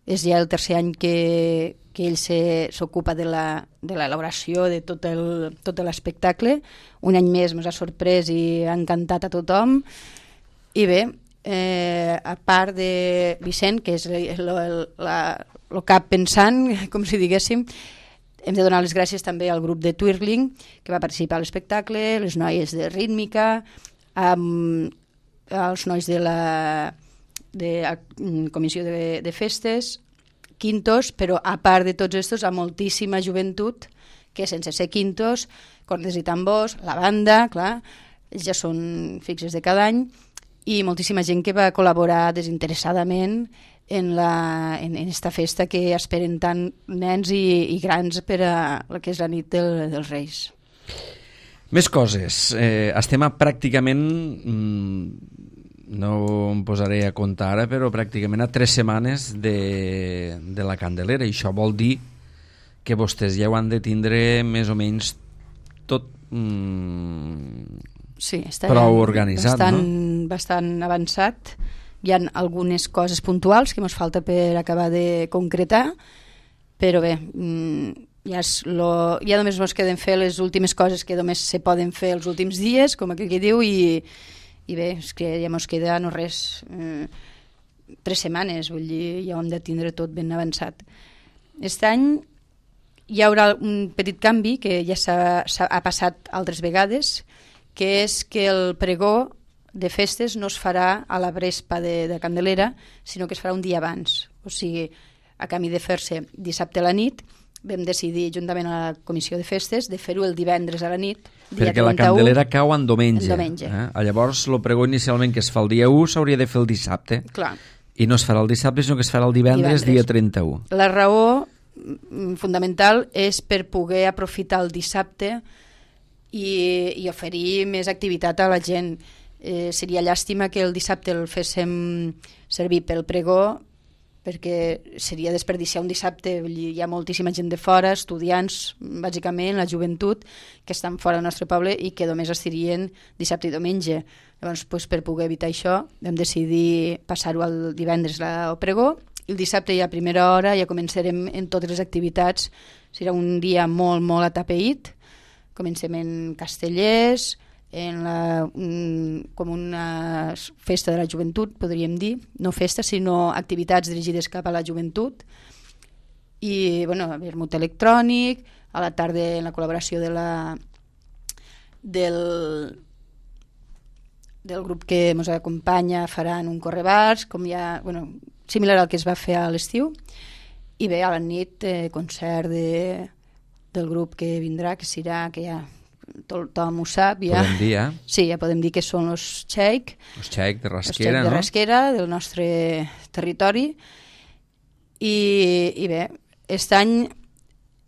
És ja el tercer any que ell s'ocupa de l'elaboració de tot l'espectacle. Un any més ens ha sorprès i ha encantat a tothom. I bé, a part de Vicent, que és el cap pensant, com si diguéssim, hem de donar les gràcies també al grup de Twirling, que va participar a l'espectacle, les noies de rítmica, els nois de la comissió de festes, quintos, però a part de tots estos, a moltíssima joventut que sense ser quintos, cordes i tambors, la banda, clar, ja són fixes de cada any, i moltíssima gent que va col·laborar desinteressadament en esta festa que esperen tant nens i grans per a la que és la nit dels Reis. Més coses. Estem pràcticament... no em posaré a comptar ara, però pràcticament a 3 setmanes de la Candelera, i això vol dir que vostès ja ho han de tindre més o menys tot prou organitzat, bastant avançat. Hi ha algunes coses puntuals que ens falta per acabar de concretar, però bé, ja només ens queden fer les últimes coses que només se poden fer els últims dies, com aquell que diu, i I bé, és que ja mos queda no res, 3 setmanes, vull dir, ja ho hem de tindre tot ben avançat. Aquest any hi haurà un petit canvi que ja ha passat altres vegades, que és que el pregó de festes no es farà a la Vespa de Candelera, sinó que es farà un dia abans. O sigui, a canvi de fer-se dissabte a la nit, vam decidir, juntament a la comissió de festes, de fer-ho el divendres a la nit, dia perquè 31, la Candelera cau en diumenge. En diumenge. Llavors, el pregó inicialment que es fa el dia 1 s'hauria de fer el dissabte. Clar. I no es farà el dissabte, sinó que es farà el divendres. Dia 31. La raó fundamental és per poder aprofitar el dissabte i oferir més activitat a la gent. Seria llàstima que el dissabte el féssim servir pel pregó, perquè seria desperdiciar un dissabte. Hi ha moltíssima gent de fora, estudiants, bàsicament, la joventut, que estan fora del nostre poble i que només estirien dissabte i diumenge. Llavors, per poder evitar això, vam decidir passar-ho al divendres el pregó, i el dissabte ja a primera hora ja començarem en totes les activitats. Serà un dia molt, molt atapeït. Comencem en Castellers, com una festa de la joventut, podríem dir. No festa, sinó activitats dirigides cap a la joventut. I, vermut electrònic, a la tarda en la col·laboració del grup que ens acompanya faran un correbars, similar al que es va fer a l'estiu. I bé, a la nit, concert del grup que vindrà, que serà, que ja tothom ho sap, ja. Podem dir, Sí, ja podem dir que són els Xeic. Els Xeic de Rasquera, els Xeic de Rasquera, del nostre territori. I bé, aquest any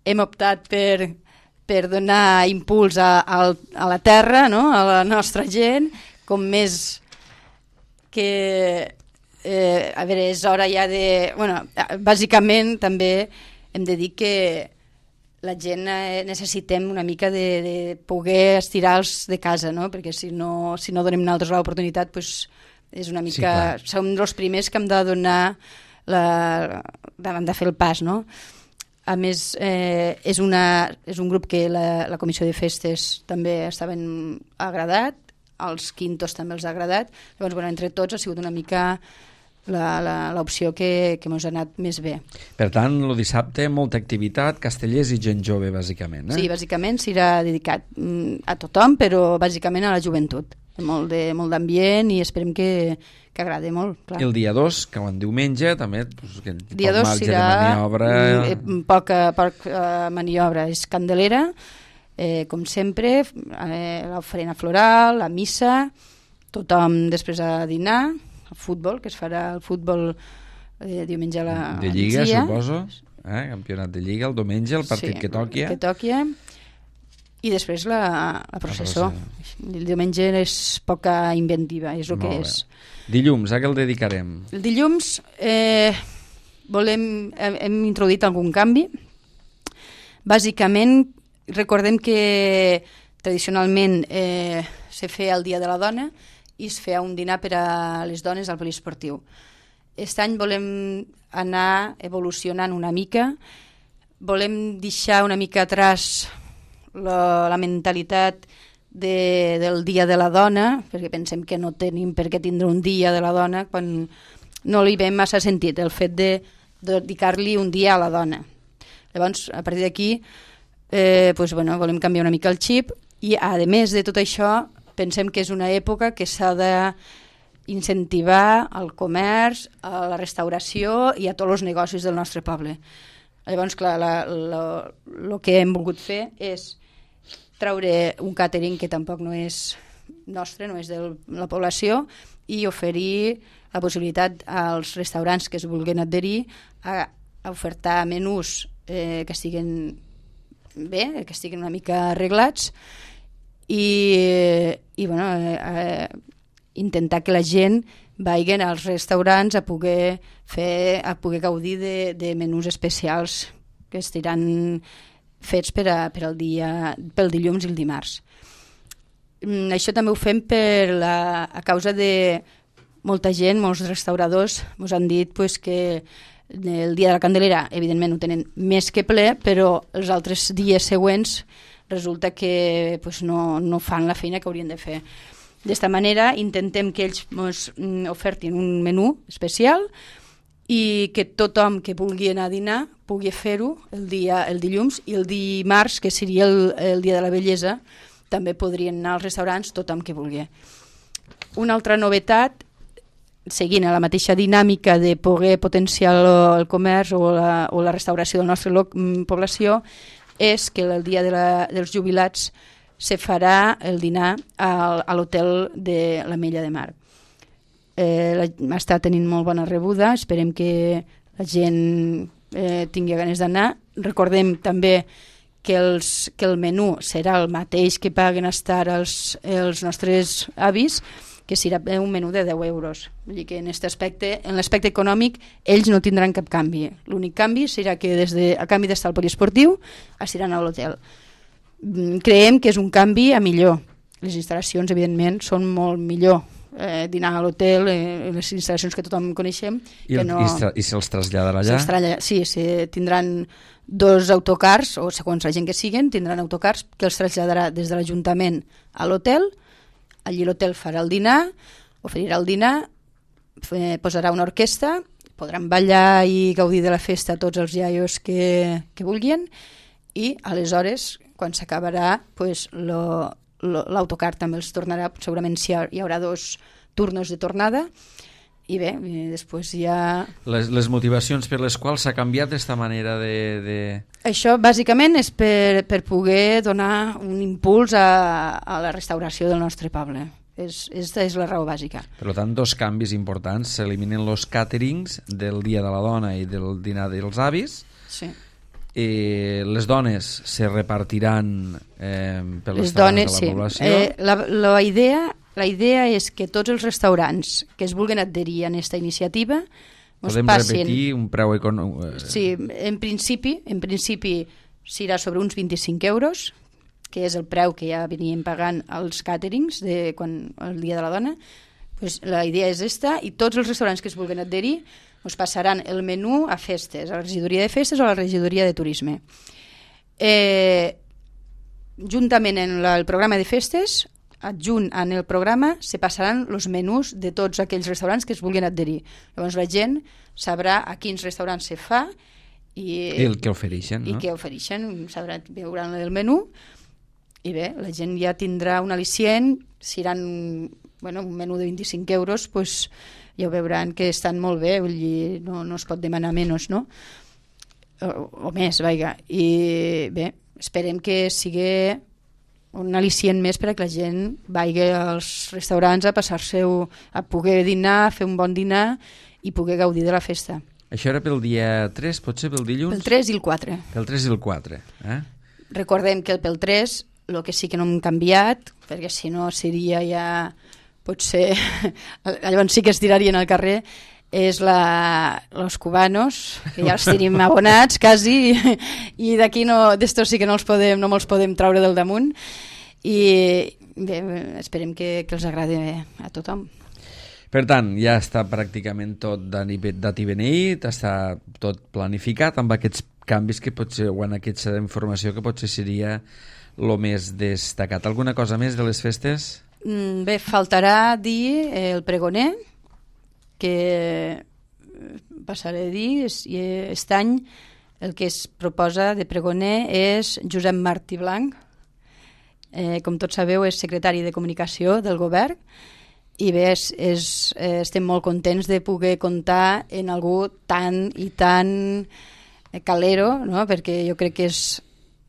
hem optat per donar impuls a la terra, no? A la nostra gent, com més que... a veure, és hora ja de... bàsicament també hem de dir que la gent necessitem una mica de poder estirar-los de casa, no? Perquè si no donem nosaltres l'oportunitat, és una mica... Sí, som els primers que hem de donar hem de fer el pas, no? A més, és un grup que la comissió de festes també estaven agradat, als quintos també els ha agradat. Llavors, entre tots ha sigut una mica l'opció que ens ha anat més bé. Per tant, el dissabte molta activitat, castellers i gent jove, bàsicament. Sí, bàsicament serà dedicat a tothom, però bàsicament a la joventut. Molt d'ambient i esperem que agradi molt. Clar. I el dia 2, que en diumenge, també, dia 2 serà poca maniobra. És Candelera, com sempre, l'ofrena floral, la missa, tothom després a dinar, el futbol, que es farà el futbol diumenge a la de Lliga, suposo, campionat de Lliga, el diumenge, el partit que toqui. I després la processó. El diumenge és poca inventiva, és el que és. Dilluns, a què el dedicarem? El dilluns hem introduït algun canvi. Bàsicament, recordem que tradicionalment se feia el Dia de la Dona i es feia un dinar per a les dones al poliesportiu. Aquest any volem anar evolucionant una mica, volem deixar una mica atrás la mentalitat del Dia de la Dona, perquè pensem que no tenim per què tindre un Dia de la Dona quan no li veiem massa sentit el fet de dedicar-li un dia a la dona. Llavors, a partir d'aquí, volem canviar una mica el xip i, a més de tot això, pensem que és una època que s'ha d'incentivar el comerç, a la restauració i a tots els negocis del nostre poble. Llavors, clar, el que hem volgut fer és treure un càtering que tampoc no és nostre, no és de la població, i oferir la possibilitat als restaurants que es vulguin adherir a ofertar menús que estiguin bé, que estiguin una mica arreglats i intentar que la gent vagin als restaurants a poder gaudir de menús especials que estiran fets pel dilluns i el dimarts. Això també ho fem a causa de molta gent, molts restauradors ens han dit que el dia de la Candelera evidentment ho tenen més que ple, però els altres dies següents resulta que no fan la feina que haurien de fer. D'esta manera intentem que ells ens ofertin un menú especial i que tothom que vulgui anar a dinar pugui fer-ho el dilluns, i el dimarts, que seria el dia de la bellesa, també podrien anar als restaurants tothom que vulgui. Una altra novetat, seguint la mateixa dinàmica de poder potenciar el comerç o la restauració de la nostra població, és que el dia dels jubilats se farà el dinar a l'hotel de l'Ametlla de Mar. Està tenint molt bona rebuda, esperem que la gent tingui ganes d'anar. Recordem també que el menú serà el mateix que paguen estar els nostres avis, que serà un menú de 10 euros. Vull dir que en l'aspecte econòmic ells no tindran cap canvi. L'únic canvi serà que a canvi d'estar al poliesportiu estaran a l'hotel. Creiem que és un canvi a millor. Les instal·lacions, evidentment, són molt millor. Dinar a l'hotel, les instal·lacions que tothom coneixem. I se'ls traslladarà allà? Sí, tindran 2 autocars, o segons la gent que siguen, tindran autocars que els traslladarà des de l'Ajuntament a l'hotel. Allí l'hotel farà el dinar, oferirà el dinar, posarà una orquestra, podran ballar i gaudir de la festa tots els iaios que vulguin, i aleshores, quan s'acabarà, l'autocar també els tornarà, segurament hi haurà 2 turnos de tornada, i bé, després hi ha... Les motivacions per les quals s'ha canviat aquesta manera de... Això bàsicament és per poder donar un impuls a la restauració del nostre poble. Aquesta és la raó bàsica. Per tant, 2 canvis importants. S'eliminen els càterings del Dia de la Dona i del dinar dels avis. Sí. Les dones se repartiran per les dones de la població. La idea és que tots els restaurants que es vulguin adherir a aquesta iniciativa podem repetir un preu econòmic. Sí, en principi serà sobre uns 25 euros, que és el preu que ja veníem pagant als càterings el Dia de la Dona. La idea és esta, i tots els restaurants que es vulguin adherir us passaran el menú a festes, a la regidoria de festes o a la regidoria de turisme. Juntament en el programa de festes, adjunt en el programa, se passaran els menús de tots aquells restaurants que es vulguin adherir. Llavors la gent sabrà a quins restaurants se fa i el que ofereixen, no? I què ofereixen, veuran el menú, i bé, la gent ja tindrà un al·licient. Si seran un menú de 25 euros, ja ho veuran que estan molt bé, vull dir, no es pot demanar menys, no? O més, vaja. I bé, esperem que sigui un al·licient més per a que la gent vagi als restaurants a passar-se-ho, a poder dinar, fer un bon dinar i poder gaudir de la festa. Això era pel dia 3, potser pel dilluns? Pel 3 i el 4. Pel 3 i el 4, Recordem que pel 3, el que sí que no hem canviat, perquè si no seria ja, potser, llavors sí que es tirarien al carrer, és los cubanos, que ja els tenim abonats quasi, i d'aquí d'estos sí que no me'ls podem traure del damunt, i bé, esperem que els agradi a tothom. Per tant, ja està pràcticament tot dat i beneït, està tot planificat amb aquests canvis que potser, o en aquesta informació que potser seria el més destacat. Alguna cosa més de les festes? Bé, faltarà dir el pregoner, que passaré a dir, i aquest any el que es proposa de pregoner és Josep Martí Blanc. Com tots sabeu, és secretari de Comunicació del Govern, i bé, estem molt contents de poder comptar en algú tan i tan calero, no? Perquè jo crec que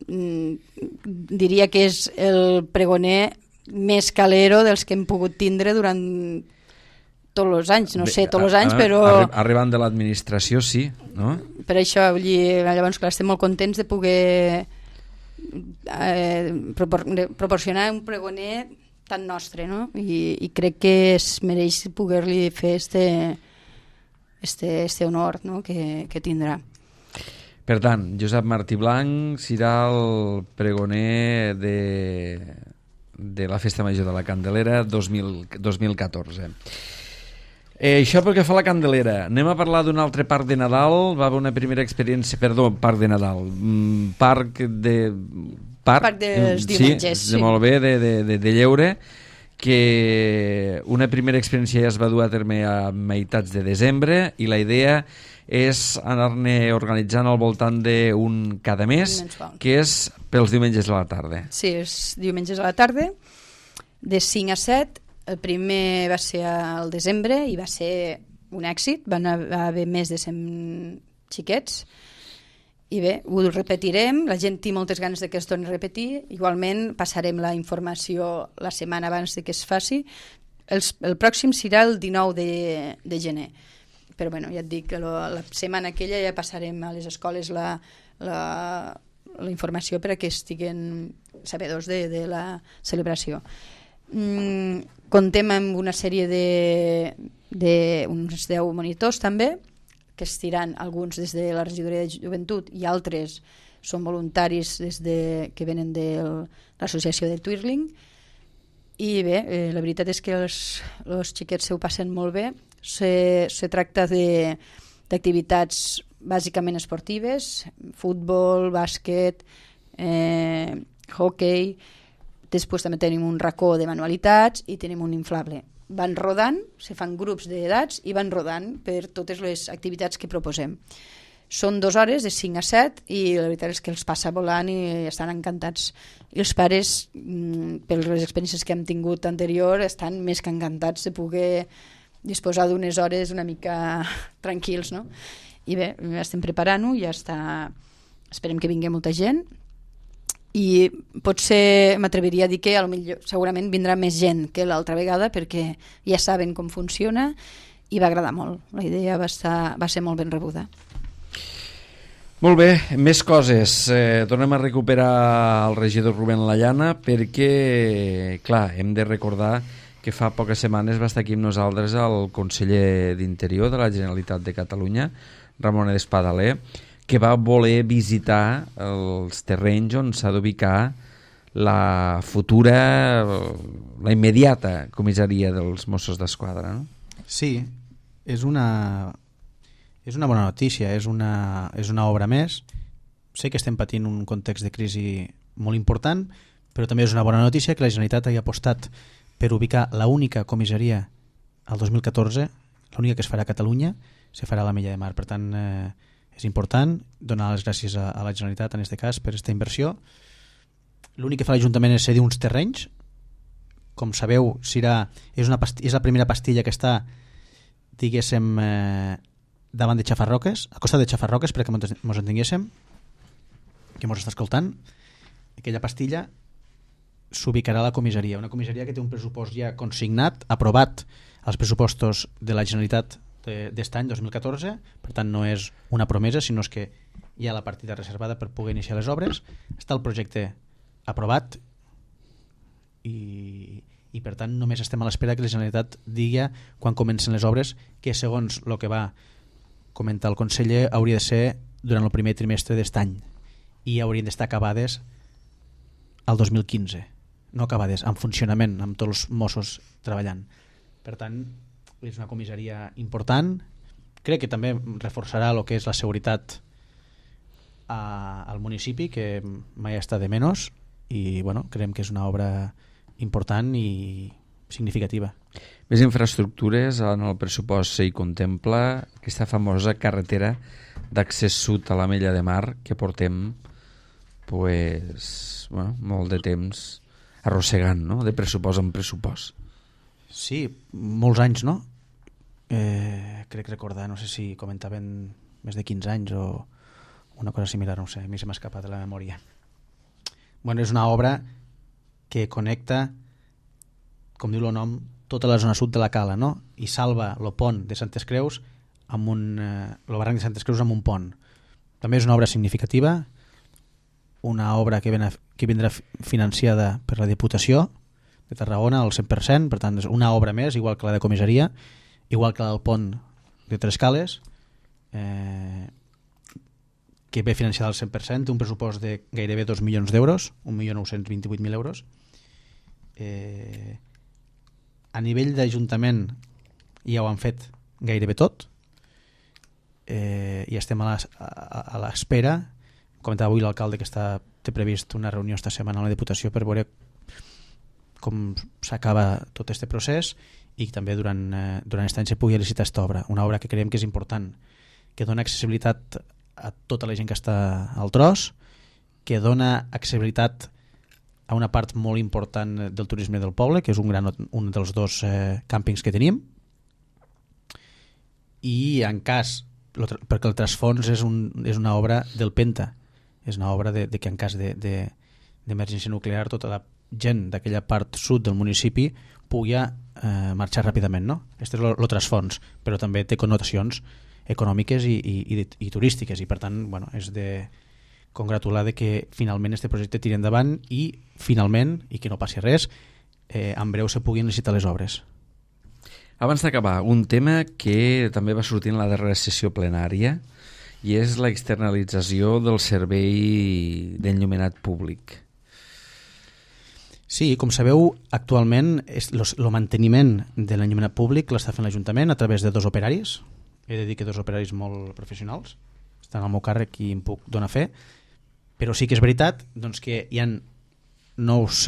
diria que és el pregoner més calero dels que hem pogut tindre durant tots els anys, no sé, tots els anys, però... Arribant de l'administració, sí, no? Per això, vull dir, llavors, clar, estem molt contents de poder proporcionar un pregoner tan nostre, no? I crec que es mereix poder-li fer este honor, no? que tindrà. Per tant, Josep Martí Blanc serà el pregoner de la Festa Major de la Candelera 2014. Això pel que fa a la Candelera. Anem a parlar d'un altre parc de Nadal. Va haver una primera experiència... Perdó, parc de Nadal. Parc dels diumenges. Sí, molt bé, de lleure, que una primera experiència ja es va dur a terme a meitats de desembre i la idea és anar-ne organitzant al voltant d'un cada mes, que és pels diumenges a la tarda. Sí, és diumenges a la tarda, de 5 a 7. El primer va ser al desembre i va ser un èxit, van haver més de 100 xiquets. I bé, ho repetirem, la gent té moltes ganes de que es torni a repetir, igualment passarem la informació la setmana abans de que es faci. El pròxim serà el 19 de gener, però bueno, ja et dic que la setmana aquella ja passarem a les escoles la informació per a que estiguen sabedors de la celebració. Contem amb una sèrie d'uns 10 monitors també, que estiran alguns des de la regidoria de joventut i altres són voluntaris que venen de l'associació de Twirling. I bé, la veritat és que els xiquets se ho passen molt bé. Se tracta d'activitats bàsicament esportives, futbol, bàsquet, hockey. Després també tenim un racó de manualitats i tenim un inflable. Van rodant, se fan grups d'edats i van rodant per totes les activitats que proposem. Són 2 hores, de 5 a 7, i la veritat és que els passa volant i estan encantats. I els pares, per les experiències que hem tingut anterior, estan més que encantats de poder disposar d'unes hores una mica tranquils, no? I bé, estem preparant-ho, ja està... Esperem que vingui molta gent. I potser m'atreviria a dir que segurament vindrà més gent que l'altra vegada perquè ja saben com funciona i va agradar molt. La idea va ser molt ben rebuda. Molt bé, més coses. Tornem a recuperar el regidor Rubén Llana perquè, clar, hem de recordar que fa poques setmanes va estar aquí amb nosaltres el conseller d'Interior de la Generalitat de Catalunya, Ramon Espadaler, que va voler visitar els terrenys on s'ha d'ubicar la futura, la immediata comissaria dels Mossos d'Esquadra, no? Sí, és una bona notícia, és una obra més. Sé que estem patint un context de crisi molt important, però també és una bona notícia que la Generalitat hagi apostat per ubicar l'única comissaria al 2014, l'única que es farà a Catalunya, se farà a l'Ametlla de Mar. Per tant, és important donar les gràcies a la Generalitat en aquest cas per aquesta inversió. L'únic que fa l'Ajuntament és cedir uns terrenys. Com sabeu, és la primera pastilla que està, diguéssim, davant de Xafarroques, a costat de Xafarroques, perquè ens entenguéssim, que ens està escoltant. Aquella pastilla s'ubicarà a la comissaria, una comissaria que té un pressupost ja consignat, aprovat als pressupostos de la Generalitat d'est any, 2014, per tant no és una promesa, sinó que hi ha la partida reservada per poder iniciar les obres. Està el projecte aprovat i per tant només estem a l'espera que la Generalitat digui quan comencen les obres, que segons el que va comentar el conseller hauria de ser durant el primer trimestre d'est any i haurien d'estar acabades al 2015, no acabades, en funcionament, amb tots els Mossos treballant. Per tant, és una comissaria important. Crec que també reforçarà el que és la seguretat al municipi, que mai està de menys, i bueno, creiem que és una obra important i significativa. Més infraestructures, en el pressupost s'hi contempla aquesta famosa carretera d'accés sud a l'Ametlla de Mar que portem molt de temps arrossegant, no? De pressupost en pressupost. Sí, molts anys, no? Crec recordar, no sé si comentaven més de 15 anys o una cosa similar, no sé, a mi se m'ha escapat de la memòria. Bueno, és una obra que connecta, com diu el nom, tota la zona sud de la Cala, no? I salva el pont de Santes Creus amb el barranc de Santes Creus amb un pont. També és una obra significativa, una obra que vindrà financiada per la Diputació de Tarragona al 100%, per tant és una obra més, igual que la de comissaria, igual que el pont de Trescales, que ve financiada al 100%, un pressupost de gairebé 2 milions d'euros, 1.928.000 euros. A nivell d'Ajuntament ja ho han fet gairebé tot, i estem a l'espera. Comentava avui l'alcalde que té previst una reunió esta setmana a la Diputació per veure com s'acaba tot aquest procés i també durant aquest any se pugui licitar aquesta obra, una obra que creiem que és important, que dona accessibilitat a tota la gent que està al tros, que dona accessibilitat a una part molt important del turisme del poble, que és un dels 2 càmpings que tenim, i en cas, perquè el trasfons és una obra del Penta, és una obra de que en cas d'emergència nuclear tota la gent d'aquella part sud del municipi pugui marxar ràpidament, no? Aquest és el trasfons, però també té connotacions econòmiques i turístiques, i per tant, bueno, és de congratular de que finalment aquest projecte tiri endavant i finalment, i que no passi res, en breu se puguin licitar les obres. Abans d'acabar, un tema que també va sortir en la darrera sessió plenària i és l'externalització del servei d'enllumenat públic. Sí, com sabeu, actualment el manteniment de l'enllumenat públic l'està fent l'Ajuntament a través de 2 operaris. He de dir que 2 operaris molt professionals, estan al meu càrrec i em puc donar fe, però sí que és veritat doncs, que hi ha noves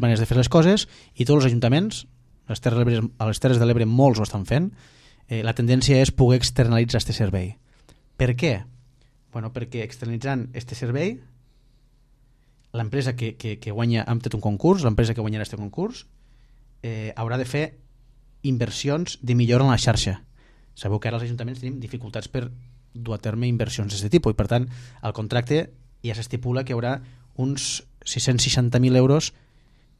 maneres de fer les coses i tots els ajuntaments, a les Terres de l'Ebre molts ho estan fent, la tendència és poder externalitzar aquest servei. Per què? Bueno, perquè externalitzant aquest servei, l'empresa que guanya, hem fet un concurs, l'empresa que guanyarà aquest concurs haurà de fer inversions de millora en la xarxa. Sabeu que ara els ajuntaments tenim dificultats per dur a terme inversions d'aquest tipus i per tant al contracte ja s'estipula que hi haurà uns 660.000 euros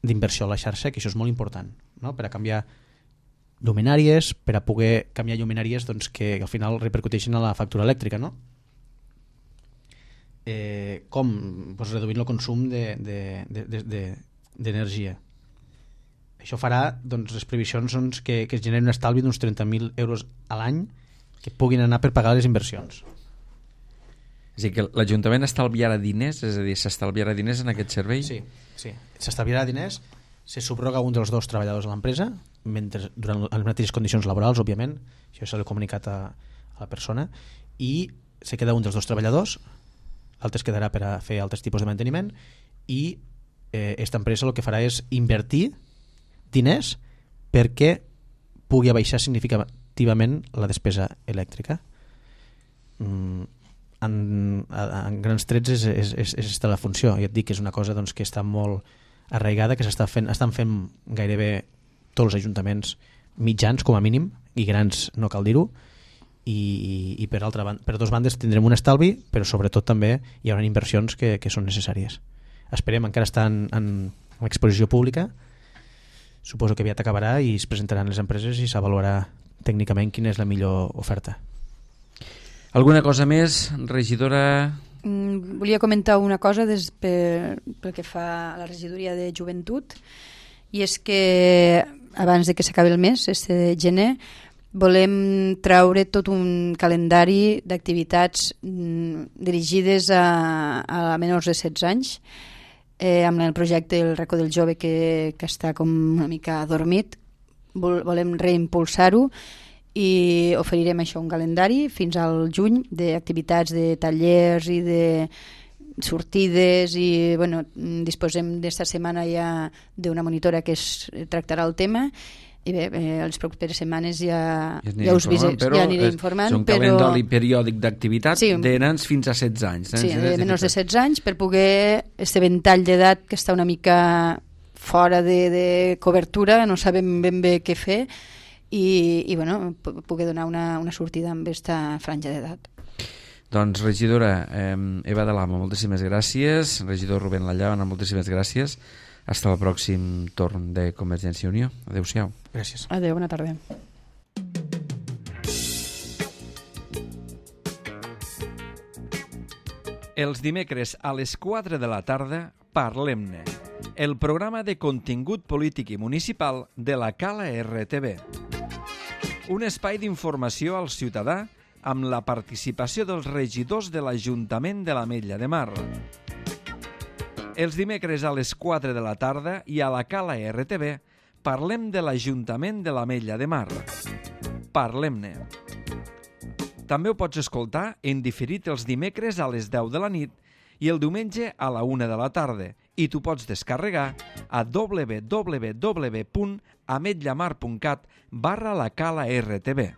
d'inversió a la xarxa, que això és molt important, no? Per a canviar lluminàries, per a poder canviar lluminàries doncs, que al final repercuteixen a la factura elèctrica, no? Com doncs, reduint el consum d'energia. Això farà doncs, les previsions doncs, que es generi un estalvi d'uns 30.000 euros a l'any que puguin anar per pagar les inversions. És a dir, que l'Ajuntament estalviarà diners, és a dir, s'estalviarà diners en aquest servei? Sí. S'estalviarà diners, se subroga un dels 2 treballadors de l'empresa, durant les mateixes condicions laborals, òbviament, això s'ha comunicat a la persona, i se queda un dels 2 treballadors, l'altre es quedarà per a fer altres tipus de manteniment, i aquesta empresa el que farà és invertir diners perquè pugui abaixar significativament la despesa elèctrica. En grans trets és la funció, i et dic que és una cosa doncs, que està molt arraigada, que estan fent gairebé tots els ajuntaments mitjans com a mínim, i grans no cal dir-ho, i per 2 bandes tindrem un estalvi, però sobretot també hi haurà inversions que són necessàries. Esperem, encara està en exposició pública, suposo que aviat acabarà i es presentaran les empreses i s'avaluarà tècnicament quina és la millor oferta. Alguna cosa més, regidora? Volia comentar una cosa pel que fa a la regidoria de joventut, i és que abans de que s'acabi el mes, de gener, volem traure tot un calendari d'activitats dirigides a menors de 16 anys, amb el projecte El racó del jove que està com una mica adormit. Volem reimpulsar-ho i oferirem això, un calendari fins al juny d'activitats, de tallers i de sortides, i bueno, disposem d'esta setmana ja d'una monitora que tractarà el tema, i bé, les properes setmanes ja us aniré informant. És un calendari periòdic d'activitats de nens fins a 16 anys. Sí, de menys de 16 anys, per poder este ventall d'edat que està una mica fora de cobertura, no sabem ben bé què fer, i bueno, poder donar una sortida amb aquesta franja d'edat. Doncs, regidora Eva de l'Amo, moltíssimes gràcies. Regidor Rubén Lallana, moltíssimes gràcies. Hasta el pròxim torn de Convergència i Unió. Adéu-siau. Gràcies. Adéu, bona tarda. Els dimecres a les 4 de la tarda, Parlem-ne, el programa de contingut polític i municipal de la Cala RTV. Un espai d'informació al ciutadà amb la participació dels regidors de l'Ajuntament de l'Ametlla de Mar. Els dimecres a les 4 de la tarda i a la Cala RTV parlem de l'Ajuntament de l'Ametlla de Mar. Parlem-ne. També ho pots escoltar en diferit els dimecres a les 10 de la nit i el diumenge a la 1 de la tarda i tu pots descarregar a www.ametllamar.cat/la cala RTV.